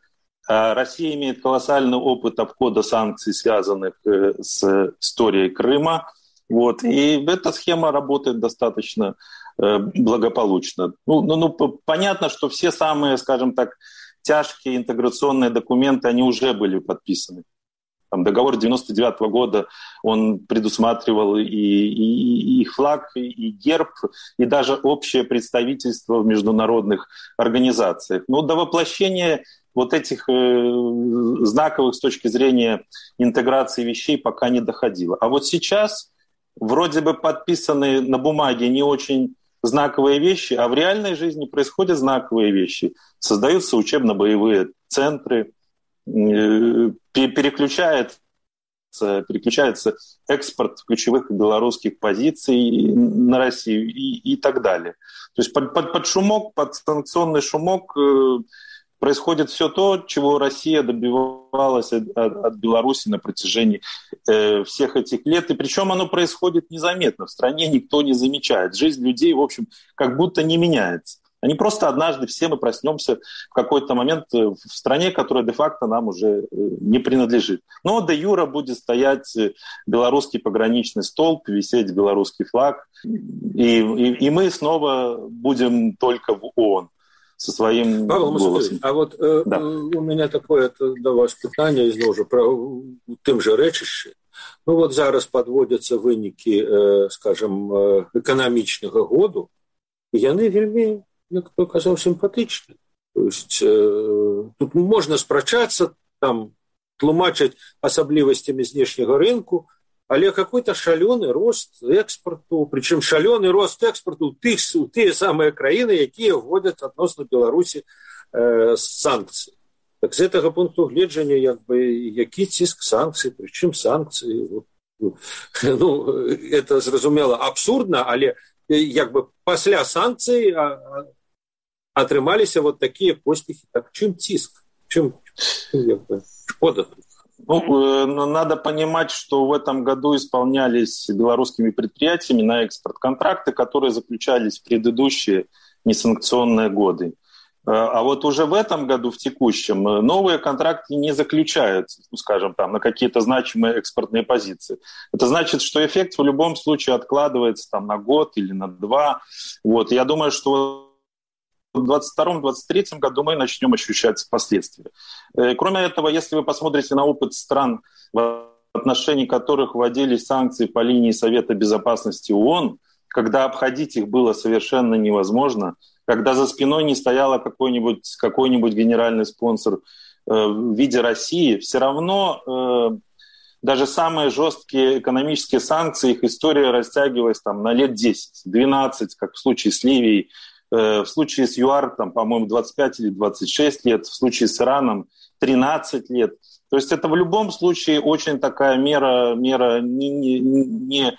Россия имеет колоссальный опыт обхода санкций, связанных с историей Крыма. И эта схема работает достаточно благополучно. Понятно, что все самые, скажем так, тяжкие интеграционные документы, они уже были подписаны. Договор 1999 года, он предусматривал и флаг, и герб, и даже общее представительство в международных организациях. До воплощения вот этих знаковых с точки зрения интеграции вещей пока не доходило. А вот сейчас вроде бы подписаны на бумаге не очень знаковые вещи, а в реальной жизни происходят знаковые вещи. Создаются учебно-боевые центры, переключается экспорт ключевых белорусских позиций на Россию и так далее. То есть под шумок, под санкционный шумок происходит все то, чего Россия добивалась от Беларуси на протяжении всех этих лет. И причем оно происходит незаметно. В стране никто не замечает. Жизнь людей, в общем, как будто не меняется. Они просто однажды все мы проснемся в какой-то момент в стране, которая де-факто нам уже не принадлежит. Но де-юра будет стоять белорусский пограничный столб, висеть белорусский флаг. И мы снова будем только в ООН со своим голосом. А да. У меня такое до вас питание, знову ж, про тим же речище. Зараз подводятся вынікі, скажем, эканамічнага году, і яны вельмі, як то казаў, сімпатычны. То есть тут можна спрачацца, тлумачыць асаблівасцямі знешняга рынку, але какой-то шалёны рост экспорту, причем шалёны рост экспорту у тыя самыя краіны, якія вводзяць адносна Беларусі санкцыі. Так з гэтага пункту гледжання які ціск санкцый, причым санкцыі. это зразумела абсурдна, але як бы пасля санкцый атрымаліся вот такія поспехі. Так чым ціск? Чым як бы шкода тут? Надо понимать, что в этом году исполнялись белорусскими предприятиями на экспорт контракты, которые заключались в предыдущие несанкционные годы. А вот уже в этом году, в текущем, новые контракты не заключаются, скажем, там, на какие-то значимые экспортные позиции. Это значит, что эффект в любом случае откладывается там, на год или на два. Вот. Я думаю, что в 2022-2023 году мы начнем ощущать последствия. Кроме этого, если вы посмотрите на опыт стран, в отношении которых вводились санкции по линии Совета Безопасности ООН, когда обходить их было совершенно невозможно, когда за спиной не стоял какой-нибудь генеральный спонсор в виде России, все равно даже самые жесткие экономические санкции, их история растягивалась там, на лет 10-12, как в случае с Ливией, в случае с ЮАР, там, по-моему, 25 или 26 лет, в случае с Ираном 13 лет. То есть это в любом случае очень такая мера не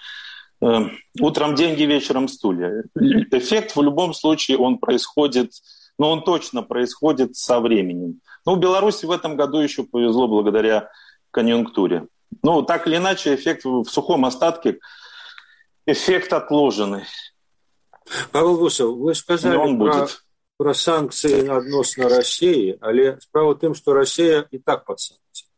утром деньги, вечером стулья. Эффект в любом случае он происходит, он точно происходит со временем. В Беларуси в этом году еще повезло благодаря конъюнктуре. Так или иначе, эффект в сухом остатке, эффект отложенный. Павел Гусев, вы сказали про санкции адносна России, але справа в том, что Россия и так под санкциями.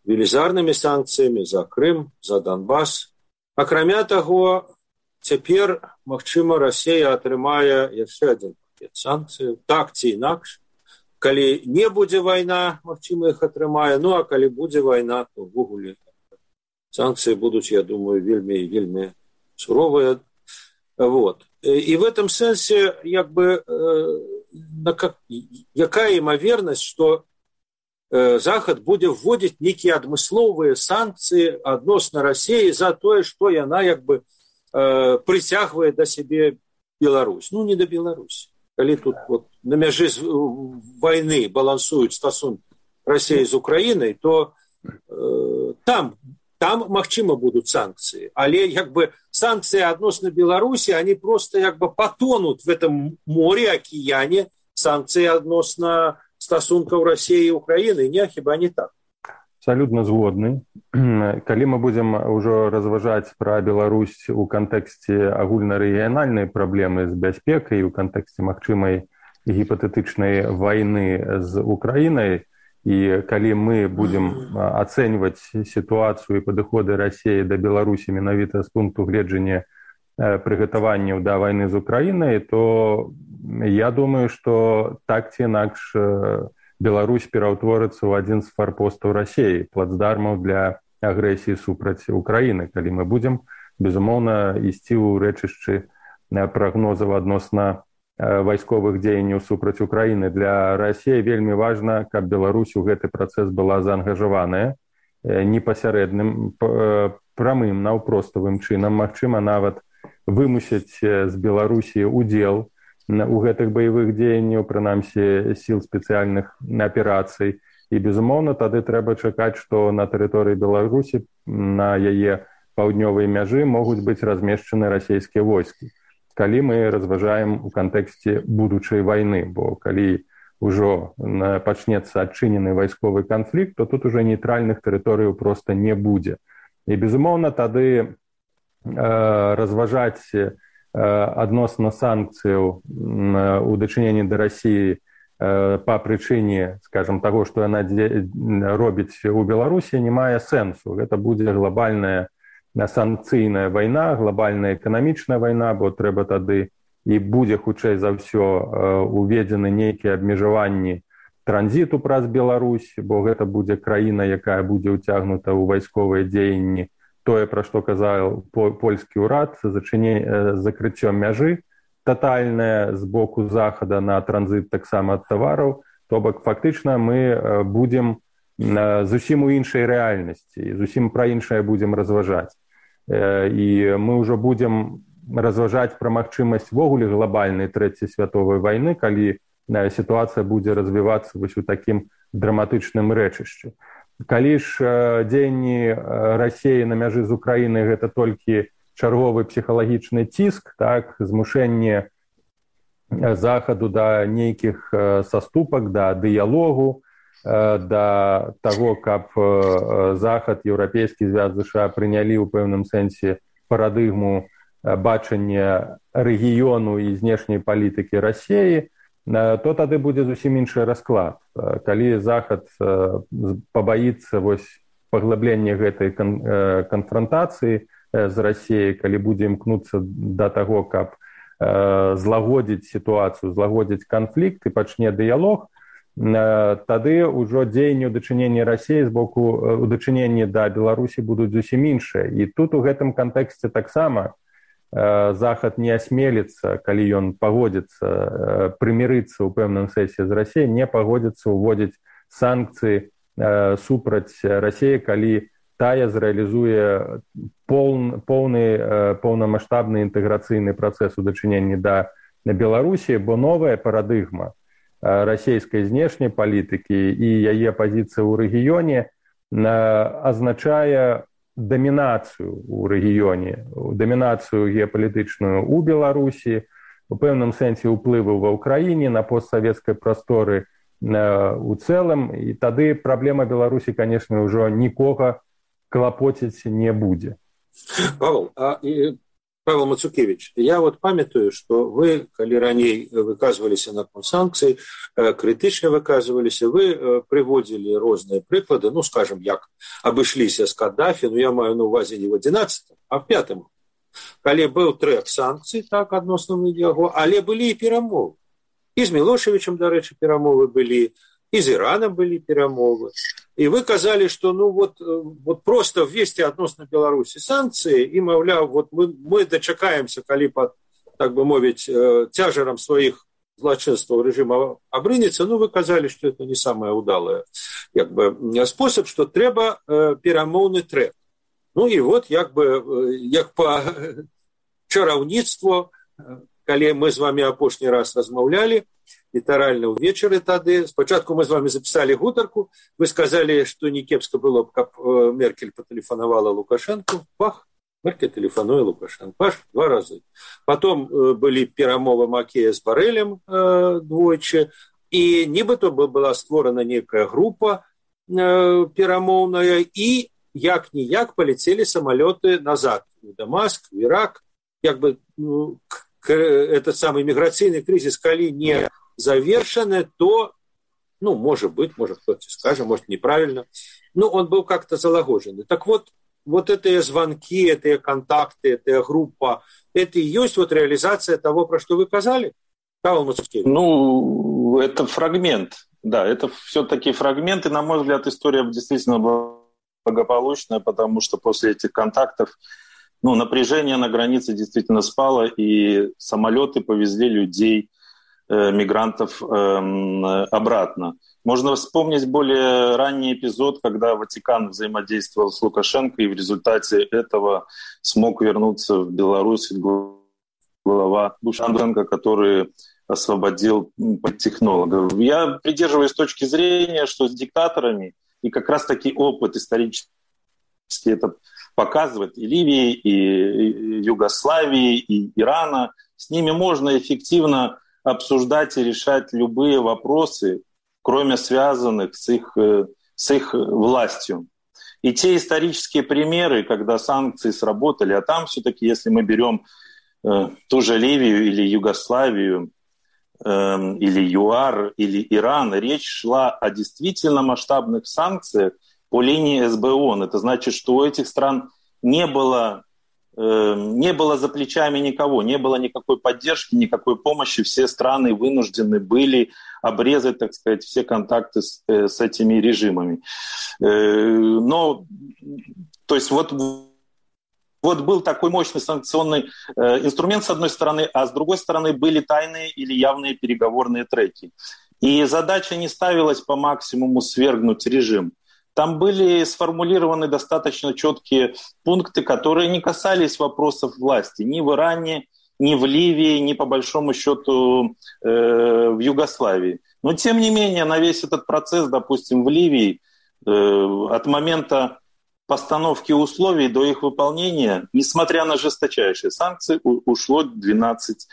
Велізарнымі санкциями за Крым, за Донбасс. Акрамя того, цяпер, магчыма, Россия атрымае яшчэ один пакет санкцый, так ці інакш. Калі не будзе вайна, магчыма, іх атрымае, а калі будзе вайна, то ввогуле санкции будут, я думаю, вельмі суровыя. Вот. И в этом сенсе, якая имоверность, что Захад будет вводить некие адмысловые санкции адносна России за то, что она притягивает до себе Беларусь. Не до Беларуси. Коли тут на мяжи войны балансуют стосунки России с Украиной, то там магчыма будут санкции. Але санкции адносна Беларуси, они просто потонут в этом море, океане санкции адносна стасункаў России и Украины. Хіба не так? Абсолютно згодны. Калі мы будем ўжо разважаць пра Беларусь у кантэксце агульнарэгіянальнай праблемы з бяспекай, у кантэксце магчымай гіпатэтычнай вайны з Украінай, і калі мы будем ацэньваць сітуацыю і падыходы России да Беларусі менавіта з пункту гледжання прыгатаванняў да вайны з Украінай, то я думаю, что так ці інакш Беларусь пераўтворыцца ў адзін з фарпостаў России, плацдармаў для агрэсіі супраць Украіны. Калі мы будем, безумоўна, ісці ў рэчышчы прагнозаў адносна вайсковых дзеянняў супраць Украіны. Для России вельмі важна, каб Беларусь у гэты працэс была заангажаваная непасярэдным, прамым, наўпроставым чынам, магчыма, нават вымусіць з Беларусі удзел у гэтых баявых дзеянняў, прынамсі сіл спецыяльных аперацый. І, безумоўна, тады трэба чакаць, што на тэрыторыі Беларусі, на яе паўднёвай мяжы могуць быць размешчаны расійскія войскі. Калі мы разважаем у кантэксце будучай вайны, бо калі ўжо пачнецца адчынены вайсковы канфлікт, то тут уже нейтральных тэрыторыяў проста не будзе. І, безумоўна, тады разважаць адносна санкцыяў у дачыненні да России па прычыне, скажем, таго, што яна робіць у Беларусі, не мае сэнсу. Гэта будзе глобальная санкцыйная вайна, глобальная эканамічная вайна, бо трэба тады і будзе хутчэй за ўсё уведзены нейкія абмежаванні транзіту праз Беларусь, бо гэта будзе краіна, якая будзе ўцягнута ў вайсковыя дзеянні. Тое, пра што казаў польскі ўрад, закрыццё мяжы татальнае з боку Захада на транзіт таксама ад тавараў, то бок фактычна мы будзем зусім у іншай рэальнасці, зусім пра іншае будзем разважаць. І мы ўжо будзем разважаць пра магчымасць ввогуле глобальнай трэцяй святовай вайны, калі сітуацыя будзе развівацца вось у такім драматычным рэчышчы. калі ж дзеянні Расіі на мяжы з Украінай гэта толькі чарговы псіхалагічны ціск, так, змушэнне захаду да нейкіх саступак, да дыялогу, да таго, каб захад, еўрапейскі звяз США прынялі ў пэўным сэнсе парадыгму бачання рэгіёну і знешняй палітыкі Расіі, то тады будзе зусім іншы расклад. Калі захад пабаіцца паглыблення гэтай канфрантацыі з Расіяй, калі будзе імкнуцца да таго, каб злагодзіць сітуацыю, злагодзіць канфлікт і пачне дыялог, тады ўжо дзеянні ў дачыненні Расіі з боку ў дачыненні да Беларусі будуць зусім іншыя. І тут у гэтым кантэксце таксама захад не асмеліцца, калі ён пагодзіцца прымірыцца ў пэўным сэнсе з Расіяй, не пагодзіцца ўводзіць санкцыі супраць Расіі, калі тая зрэалізуе поўнамаштабны інтэграцыйны працэс у дачыненні да Беларусі, бо новая парадыгма расійскай знешняй палітыкі і яе пазіцыя ў рэгіёне азначае дамінацыю ў рэгіёне, дамінацыю геапалітычную ў Беларусі, у пэўным сэнсе ўплыву ва ўкраіне на постсавецкай прасторы у цэлым, і тады праблема Беларусі, канешне, ўжо нікога клапоціць не будзе. Павел Мацукевич, я памятаю, што вы, калі раней выказваліся наконт санкцый, крытычна выказваліся, вы прыводзілі розныя прыклады, скажем, як абышліся з Каддафі, я маю на увазе не в 11-м, а в 5-м, калі быў трэк санкцый, так, адносна яго, але былі і перамовы. І з Мілошевічам, дарэчы, перамовы былі, і з Іранам былі перамовы. І вы казалі, што просто ввесці адносна Беларусі санкцыі і, маўляў, мы дачакаемся, калі пад, так бы мовіць, цяжарам сваіх злачынстваў рэжыма абрынецца, вы казалі, што это не самая удалая спосаб, што трэба перамоўны трэк. І як па чараўніцтву, калі мы з вами апошні раз размаўлялі, літаральна ўвечары тады. Спачатку мы з вами запісалі гутарку, вы сказалі, што не кепска было б, каб Меркель патэлефанавала Лукашэнку. Пах, Меркель тэлефануе Лукашэнку. Паш, 2 разы. Потом былі перамовы Макея з Барэлем двойчы, і нібыта была створана нейкая група перамоўная, і як-ніяк паляцелі самалёты назад у Дамаск, в Ірак. Этот самый міграцыйны крызіс, калі не завершаны, то, может быть, может кто-то скажет, может неправильно, он был как-то залагоженный. Так вот эти звонки, эти контакты, эта группа, это и есть реализация того, про что вы сказали? Павел Мацукевич. Это фрагмент, да, это все-таки фрагмент, и, на мой взгляд, история действительно благополучная, потому что после этих контактов напряжение на границе действительно спало, и самолеты повезли людей, мигрантов обратно. Можно вспомнить более ранний эпизод, когда Ватикан взаимодействовал с Лукашенко, и в результате этого смог вернуться в Беларусь глава Лукашенко, который освободил политтехнологов. Я придерживаюсь точки зрения, что с диктаторами, и как раз-таки опыт исторический это показывает, и Ливии, и Югославии, и Ирана, с ними можно эффективно обсуждать и решать любые вопросы, кроме связанных с их властью. И те исторические примеры, когда санкции сработали, а там все-таки, если мы берем ту же Ливию или Югославию, или ЮАР, или Иран, речь шла о действительно масштабных санкциях по линии СБОН. Это значит, что у этих стран не было за плечами никого, не было никакой поддержки, никакой помощи. Все страны вынуждены были обрезать, так сказать, все контакты с этими режимами. То есть вот был такой мощный санкционный инструмент с одной стороны, а с другой стороны были тайные или явные переговорные треки. И задача не ставилась по максимуму свергнуть режим. Там были сформулированы достаточно четкие пункты, которые не касались вопросов власти ни в Иране, ни в Ливии, ни по большому счету в Югославии. Но тем не менее на весь этот процесс, допустим, в Ливии От момента постановки условий до их выполнения, несмотря на жесточайшие санкции, ушло 12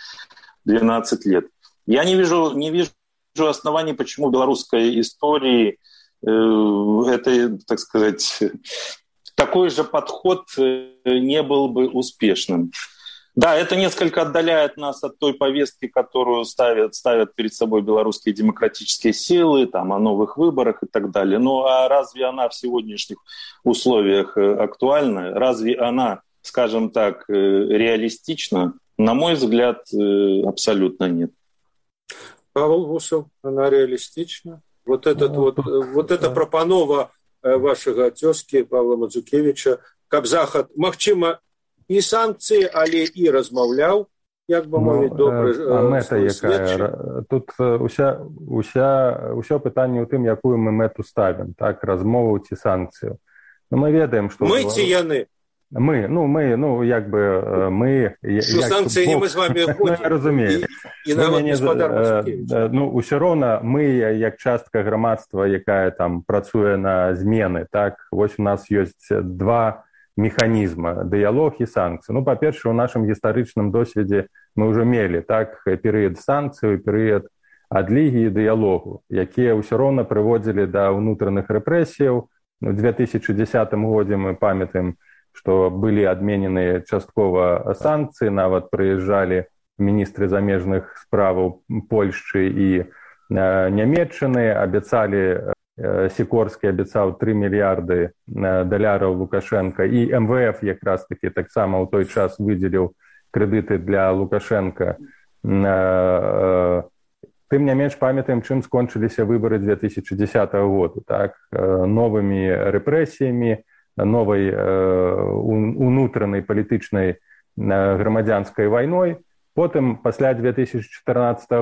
лет. Я не вижу оснований, почему в белорусской истории это, так сказать, такой же подход не был бы успешным. Да, это несколько отдаляет нас от той повестки, которую ставят перед собой белорусские демократические силы, там, о новых выборах и так далее. Ну а разве она в сегодняшних условиях актуальна? Разве она, скажем так, реалистична? На мой взгляд, абсолютно нет. Павел Гусев, она реалистична? Вот эта прапанова вашага цёзкі Павла Мазукевіча, каб Захад, магчыма, і санкцыі, але і размаўляў, як бы мовіць, добры следчы. Тут ўсё пытанне ў тым, якую мы мэту ставім, так, размову ці санкцыю. Но мы ведаем, што... Мы ці яны? Мы. Санкцыі не мы з вами ходзім. Разумею. І нават гаспадар Мазукевіч. Усё роўна мы, як частка грамадства, якая там працуе на змены, так, вось у нас ёсць два механізма, дыялог і санкцыі. Па-перше, у нашым гістарычным досведзе мы ўжо мелі, так, перыяд санкцыяў, перыяд адлігі і дыялогу, якія ўсё роўна прыводзілі да ўнутраных рэпрэсіяў. У 2010 годзе мы памятаем, што былі адменены часткова санкцыі, нават прыязджалі міністры замежных справаў Польшчы і Нямецчыны, абяцалі, Сікорскі абяцаў 3 мільярды даляраў Лукашенка, і МВФ якраз такі таксама ў той час выдзеліў крэдыты для Лукашенка. Тым не менш памятаем, чым скончыліся выбары 2010 году, так, новымі рэпрэсіямі, новай унутранай палітычнай грамадзянскай вайной. Потым, пасля 2014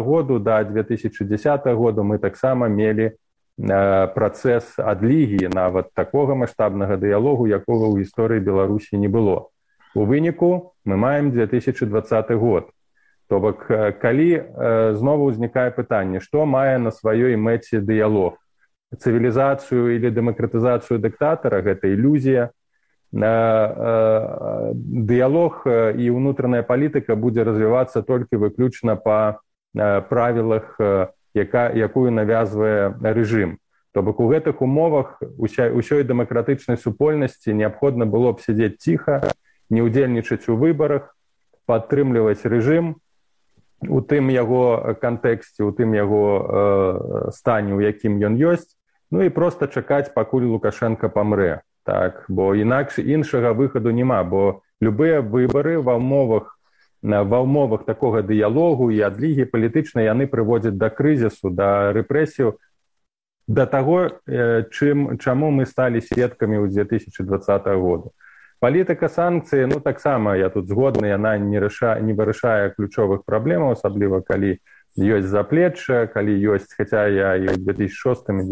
году да 2010 году мы таксама мелі працэс адлігі, нават такога маштабнага дыялогу, якога ў гісторыі Беларусі не было. У выніку мы маем 2020 год. То бок, калі знову ўзнікае пытанне, што мае на сваёй мэце дыялог? Цывілізацыю или дэмакратызацыю дыктатара, гэта ілюзія. Дыялог і ўнутраная палітыка будзе развівацца толькі выключна па правілах, якую навязвае рэжым. То бок у гэтых умовах усёй дэмакратычнай супольнасці неабходна было б сядзець ціха, не ўдзельнічаць у выбарах, падтрымліваць рэжым у тым яго кантэксце, у тым яго стане, у якім ён ёсць, ну і проста чакаць, пакуль Лукашенко памрэ. Так, бо інакш іншага выхаду няма, бо любыя выбары ва ўмовах такога дыялогу і адлігі палітычнай яны прыводзяць да крызісу, да рэпрэсіяў, да таго, чаму мы сталі сведкамі ў 2020 году. Палітыка санкцыі, таксама я тут згодны, яна не вырашае ключовых праблемаў, асабліва калі ёсць заплечча, калі ёсць, хаця я і ў 2006 і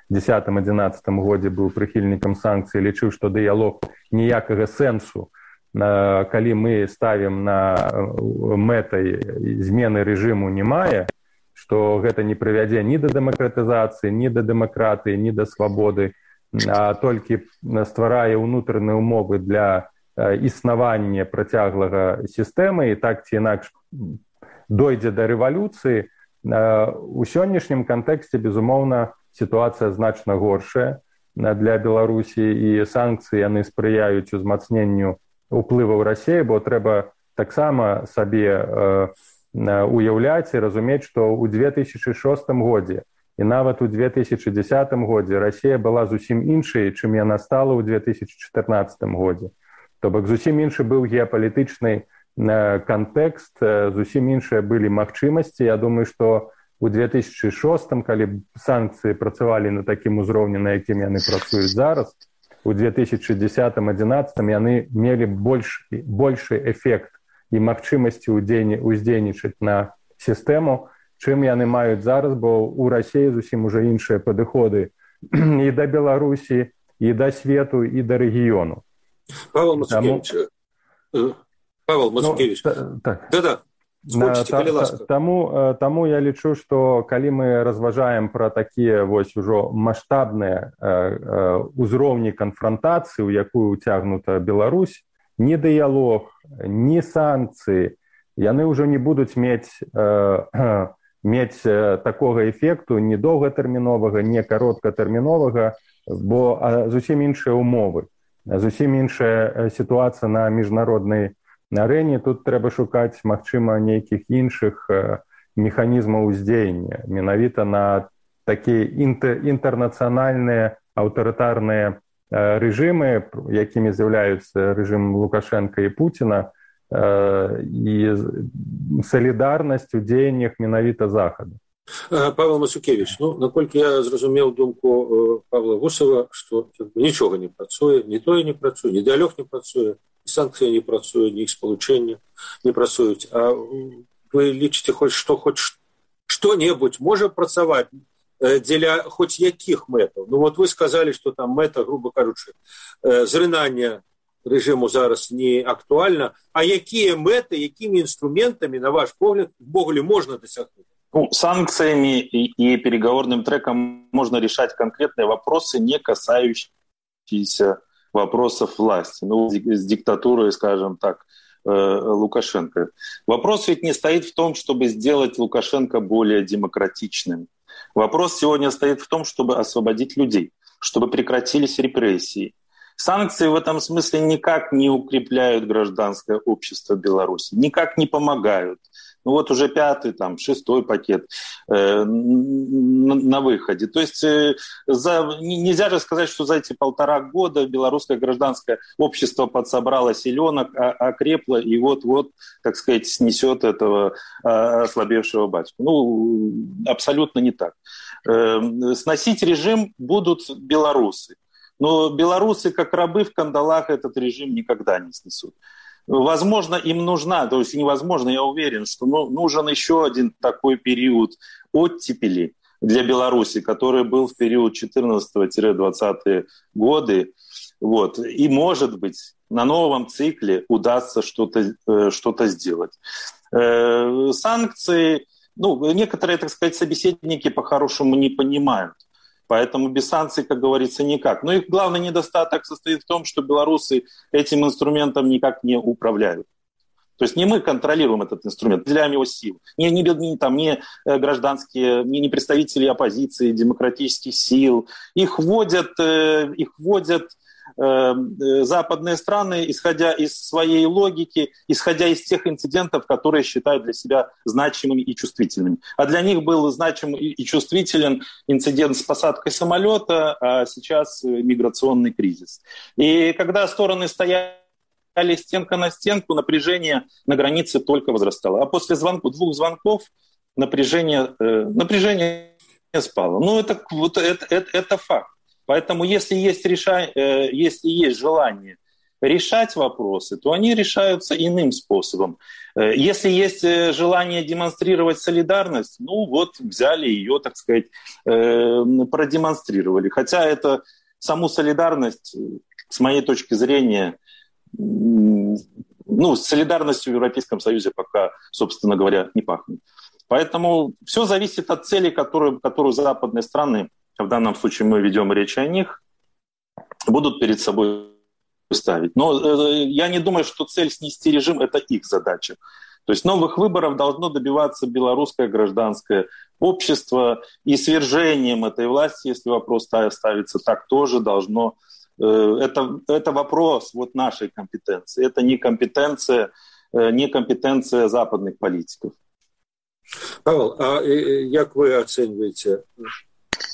2010-2011 годзе быў прыхільнікам санкцый, лічыў, што дыялог ніякага сэнсу, калі мы ставім на мэтай змены рэжыму не мае, што гэта не прывядзе ні да дэмакратызацыі, ні да дэмакратыі, ні да свабоды, а толькі стварае ўнутраныя умовы для існавання працяглага сістэмы, і так ці інакш дойдзе да рэвалюцыі. У сённяшнім кантэксце, безумоўна, сітуацыя значна горшая для Беларусі, і санкцыі яны спрыяюць узмацненню ўплываў Расіі, бо трэба таксама сабе уяўляць і разумець, што ў 2006 годзе і нават у 2010 годзе Расія была зусім іншай, чым яна стала ў 2014 годзе. То бок зусім іншы быў геапалітычны кантэкст, зусім іншыя былі магчымасці. Я думаю, што у 2006, калі санкцыі працавалі на такім узроўні, на якім яны працуюць зараз, у 2010-2011 яны мелі большы эфект і магчымасці ўздзейнічаць на сістэму, чым яны маюць зараз, бо ў Расіі зусім уже іншыя падыходы і да Беларусі, і да свету, і да рэгіёну. Павел Мацкевич. Да-да. Таму я лічу, што калі мы разважаем пра такія вось ужо маштабныя ўзроўні канфрантацыі, у якую ўцягнута Беларусь, ні дыялог, ні санкцыі, яны ўжо не будуць мець такога эфекту ні доўгатэрміновага, ні кароткатэрміновага, бо зусім іншыя ўмовы, зусім іншая сітуацыя на міжнароднай арэне. Тут трэба шукаць, магчыма, нейкіх іншых механізмаў уздзеяння, менавіта на такія інтэрнацыянальныя аўтарытарныя рэжымы, якімі з'яўляюцца рэжым Лукашенка і Пуціна, і салідарнасць у дзеяннях менавіта Захаду. Павел Мацукевич, наколькі я зразумеў думку Павла Гусава, што нічога не працуе, ні тое не працуе, ні дыялог не працуе, ні санкцыі не працуе, ні іх спалучэнне не працуюць. А вы лічыце, хоць што-небудзь можа працаваць дзеля хоць якіх мэтаў? Вот вы сказалі, што там мэта, грубо кажучы, зрынання рэжыму зараз не актуальна. А якія мэты, якімі інструментамі, на ваш погляд, увогуле можна дасягнуць? Санкциями и переговорным треком можно решать конкретные вопросы, не касающиеся вопросов власти. С диктатурой, скажем так, Лукашенко. Вопрос ведь не стоит в том, чтобы сделать Лукашенко более демократичным. Вопрос сегодня стоит в том, чтобы освободить людей, чтобы прекратились репрессии. Санкции в этом смысле никак не укрепляют гражданское общество Беларуси, никак не помогают. Вот уже 5-й, 6-й пакет на выходе. То есть нельзя же сказать, что за эти 1,5 года белорусское гражданское общество подсобрало силенок, окрепло и вот-вот, так сказать, снесет этого ослабевшего батьку. Абсолютно не так. Сносить режим будут белорусы. Но белорусы, как рабы в кандалах, этот режим никогда не снесут. Возможно, им нужна, то есть невозможно, я уверен, что нужен еще один такой период оттепели для Беларуси, который был в период 14-20 годы. И, может быть, на новом цикле удастся что-то сделать. Санкции, некоторые, так сказать, собеседники по-хорошему не понимают. Поэтому без санкций, как говорится, никак. Но их главный недостаток состоит в том, что белорусы этим инструментом никак не управляют. То есть не мы контролируем этот инструмент, выделяем его силу. Не гражданские, не представители оппозиции, демократических сил. Их вводят западные страны, исходя из своей логики, исходя из тех инцидентов, которые считают для себя значимыми и чувствительными. А для них был значим и чувствителен инцидент с посадкой самолета, а сейчас миграционный кризис. И когда стороны стояли стенка на стенку, напряжение на границе только возрастало. А после 2 звонков напряжение спало. Это факт. Поэтому если есть желание решать вопросы, то они решаются иным способом. Если есть желание демонстрировать солидарность, взяли ее, так сказать, продемонстрировали. Хотя саму солидарность, с моей точки зрения, с солидарностью в Европейском Союзе пока, собственно говоря, не пахнет. Поэтому все зависит от цели, которую западные страны, в данном случае мы ведем речь о них, будут перед собой ставить. Но я не думаю, что цель снести режим – это их задача. То есть новых выборов должно добиваться белорусское гражданское общество, и свержением этой власти, если вопрос ставится так, тоже должно... Это вопрос нашей компетенции. Это не компетенция западных политиков. Павел, а как вы оцениваете...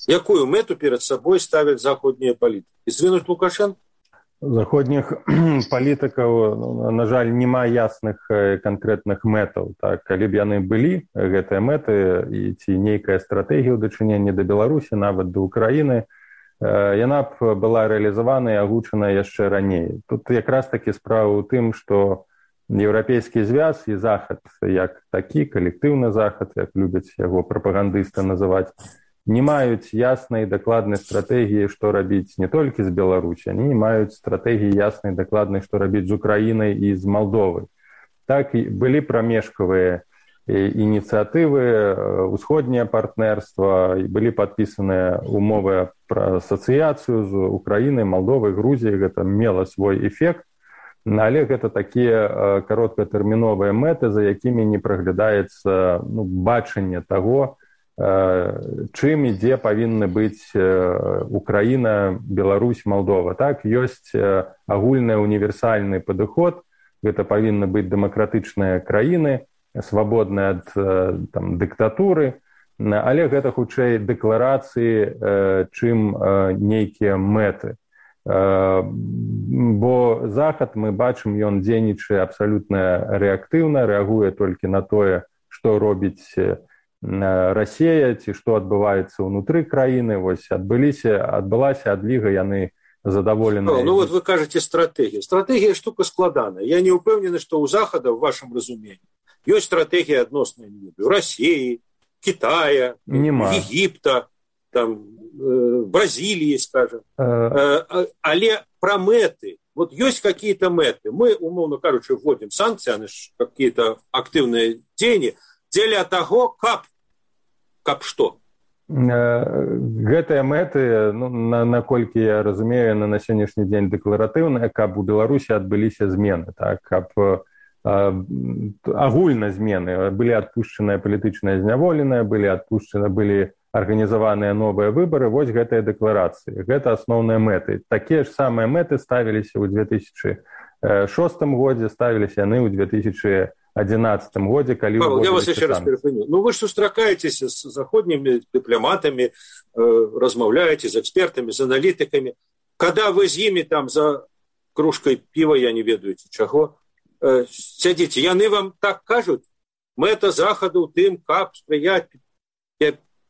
Якую мэту перед собой ставят заходнія палітыкі? Звінуць Лукашенко? Заходніх палітыкаў, на жаль, няма ясных канкрэтных мэтаў. Калі б яны былі, гэтыя мэты, і ці нейкая стратэгія ў дачыненні да Беларусі, нават да Украіны, яна б была рэалізавана і агучана яшчэ раней. Тут якраз такі справа ў тым, што еўрапейскі звяз і захад, як такі, калектыўны захад, як любяць яго прапагандысты называць, не маюць яснай дакладнай стратэгіі, што рабіць не толькі з Беларусі, они не маюць стратэгіі яснай дакладнай, што рабіць з Украінай і з Малдовай. Так, былі прамежкавыя ініцыятывы, усходняе партнерства, былі падпісаныя умовы пра асацыяцыю з Украінай, Малдовай, Грузіяй, гэта мела свой эфект, але гэта такія кароткатэрміновыя мэты, за якімі не праглядаецца бачанне таго, чым і дзе павінны быць Украіна, Беларусь, Малдова. Так, ёсць агульны універсальны падыход, гэта павінны быць дэмакратычныя краіны, свабодныя ад дыктатуры, але гэта хутчэй дэкларацыі, чым нейкія мэты. Бо Захад, мы бачым, ён дзейнічае абсалютна рэактыўна, рэагуе толькі на тое, што робіць Расія, ці што адбываецца ўнутры краіны. Вось адбылася адліга, яны задаволеныя. Вот вы кажаце стратэгія. Стратэгія штука складаная. Я не ўпэўнены, што ў Захада, в вашым разуменні, ёсць стратэгія адносная России, Китая, Египта, Бразилии, скажем. Але про мэты. Вот есть какие-то мэты. Мы, умовно кажучи, вводим санкции, они же какие-то активные дзеянні, дзеля таго, каб што? Гэтыя мэты, наколькі я разумею, на сённяшні дзень дэкларатыўныя, каб у Беларусі адбыліся змены, так, каб агульна змены, былі адпушчаныя палітычныя зняволеныя, былі арганізаваныя новыя выбары, вось гэтыя дэкларацыі. Гэта асноўныя мэты. Такія ж самыя мэты ставіліся ў 2006 годзе, ставіліся яны ў 2011 годзе, калі... Павел, я вас еще раз перепыню. Вы же сустракаетесь с заходними дипломатами, размаўляете с экспертами, с аналитиками. Когда вы с ними там за кружкой пива, я не ведаю чаго, сядзіце, яны вам так кажуць, мэта Захаду тым, каб спрыяць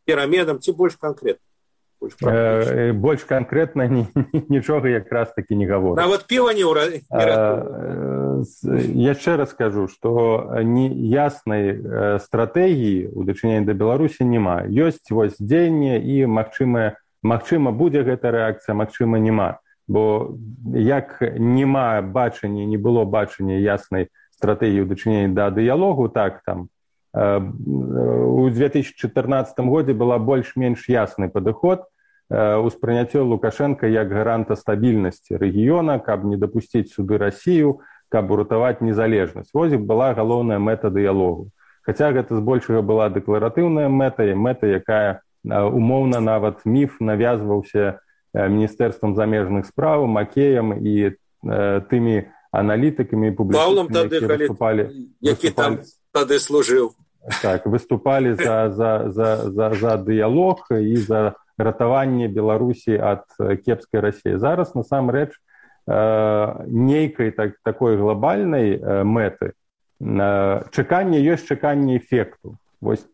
пераменам, ці больш канкрэтна? Больш канкрэтна нічога якраз такі не гаворыць. Нават піва не ратуе. Яшчэ раз скажу, што яснай стратэгіі ў дачыненні да Беларусі няма. Ёсць вось дзеянне і магчыма будзе гэта рэакцыя, магчыма няма. Бо як няма бачання, не было бачання яснай стратэгіі ў дачыненні да дыялогу, так, там, у 2014 годзе была больш-менш ясны падыход, успрыняццё Лукашенка як гаранта стабільнасці рэгіёна, каб не дапусціць сюды Расію, каб уратаваць незалежнасць. Вось была галоўная мэта дыялогу. Хаця гэта збольшага была дэкларатыўная мэта, якая умоўна нават міф навязваўся Міністэрствам замежных спраў, Макеем і тымі аналітыкамі і публічнымі, які там тады служыў. Так, выступалі за дыялог і за ратаванне Беларусі ад кепскай Расіі. Зараз, насамрэч, нейкай такой глобальнай мэты чаканне ёсць чаканне эфекту. Вось,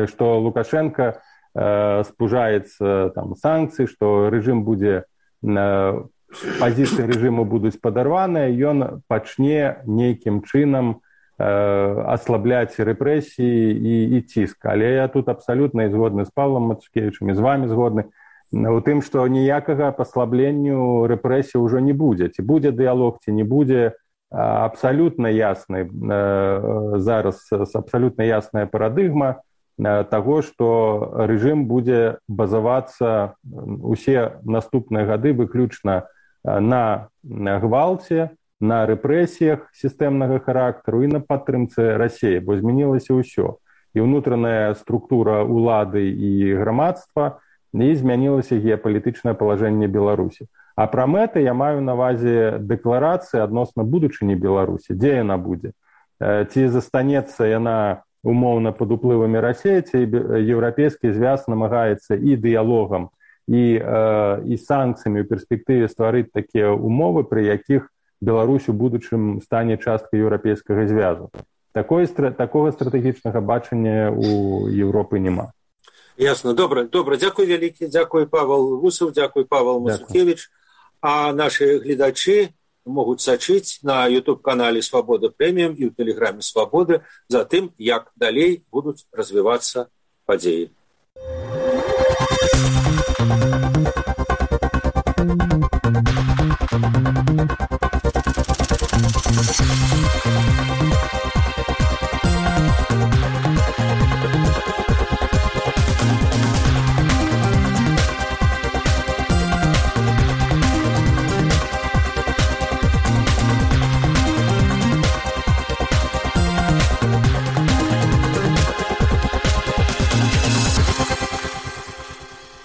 што Лукашенко спужаецца санкцыі, што рэжым будзе, пазіцыі рэжыму будуць падарваныя, ён пачне нейкім чынам аслабляць рэпрэсіі і ціск. Але я тут абсалютна згодны з Павлам Мацукевічам, і з вами згодны у тым, што ніякага паслабленню рэпрэсій ўжо не будзе. Ці будзе дыялог, ці не будзе, абсалютна ясны зараз, абсалютна ясная парадыгма таго, што рэжым будзе базавацца усе наступныя гады выключна на гвалце, на рэпрэсіях сістэмнага характару і на падтрымцы Расіі, бо змянілася ўсё. І ўнутраная структура ўлады і грамадства, і змянілася геапалітычнае палажэнне Беларусі. А пра мэты я маю на ўвазе дэкларацыі адносна будучыні Беларусі, дзе яна будзе. Ці застанецца яна умоўна пад уплывамі Расіі, ці еўрапейскі звяз намагаецца і дыялогам, і санкцыямі ў перспектыве стварыць такія умовы, пры якіх Беларусь у будучым стане часткай еўрапейскага звязу. Такога стратэгічнага бачання у Европы няма. Ясно. Добра. Дзякуй вялікі. Дзякуй Павел Гусаў, дзякуй Павел Мацукевіч. А наши гледачы могуць сачыць на YouTube-канале «Свабода Прэміум» і ў тэлеграме «Свабода» за тым, як далей будуць развівацца падзеі.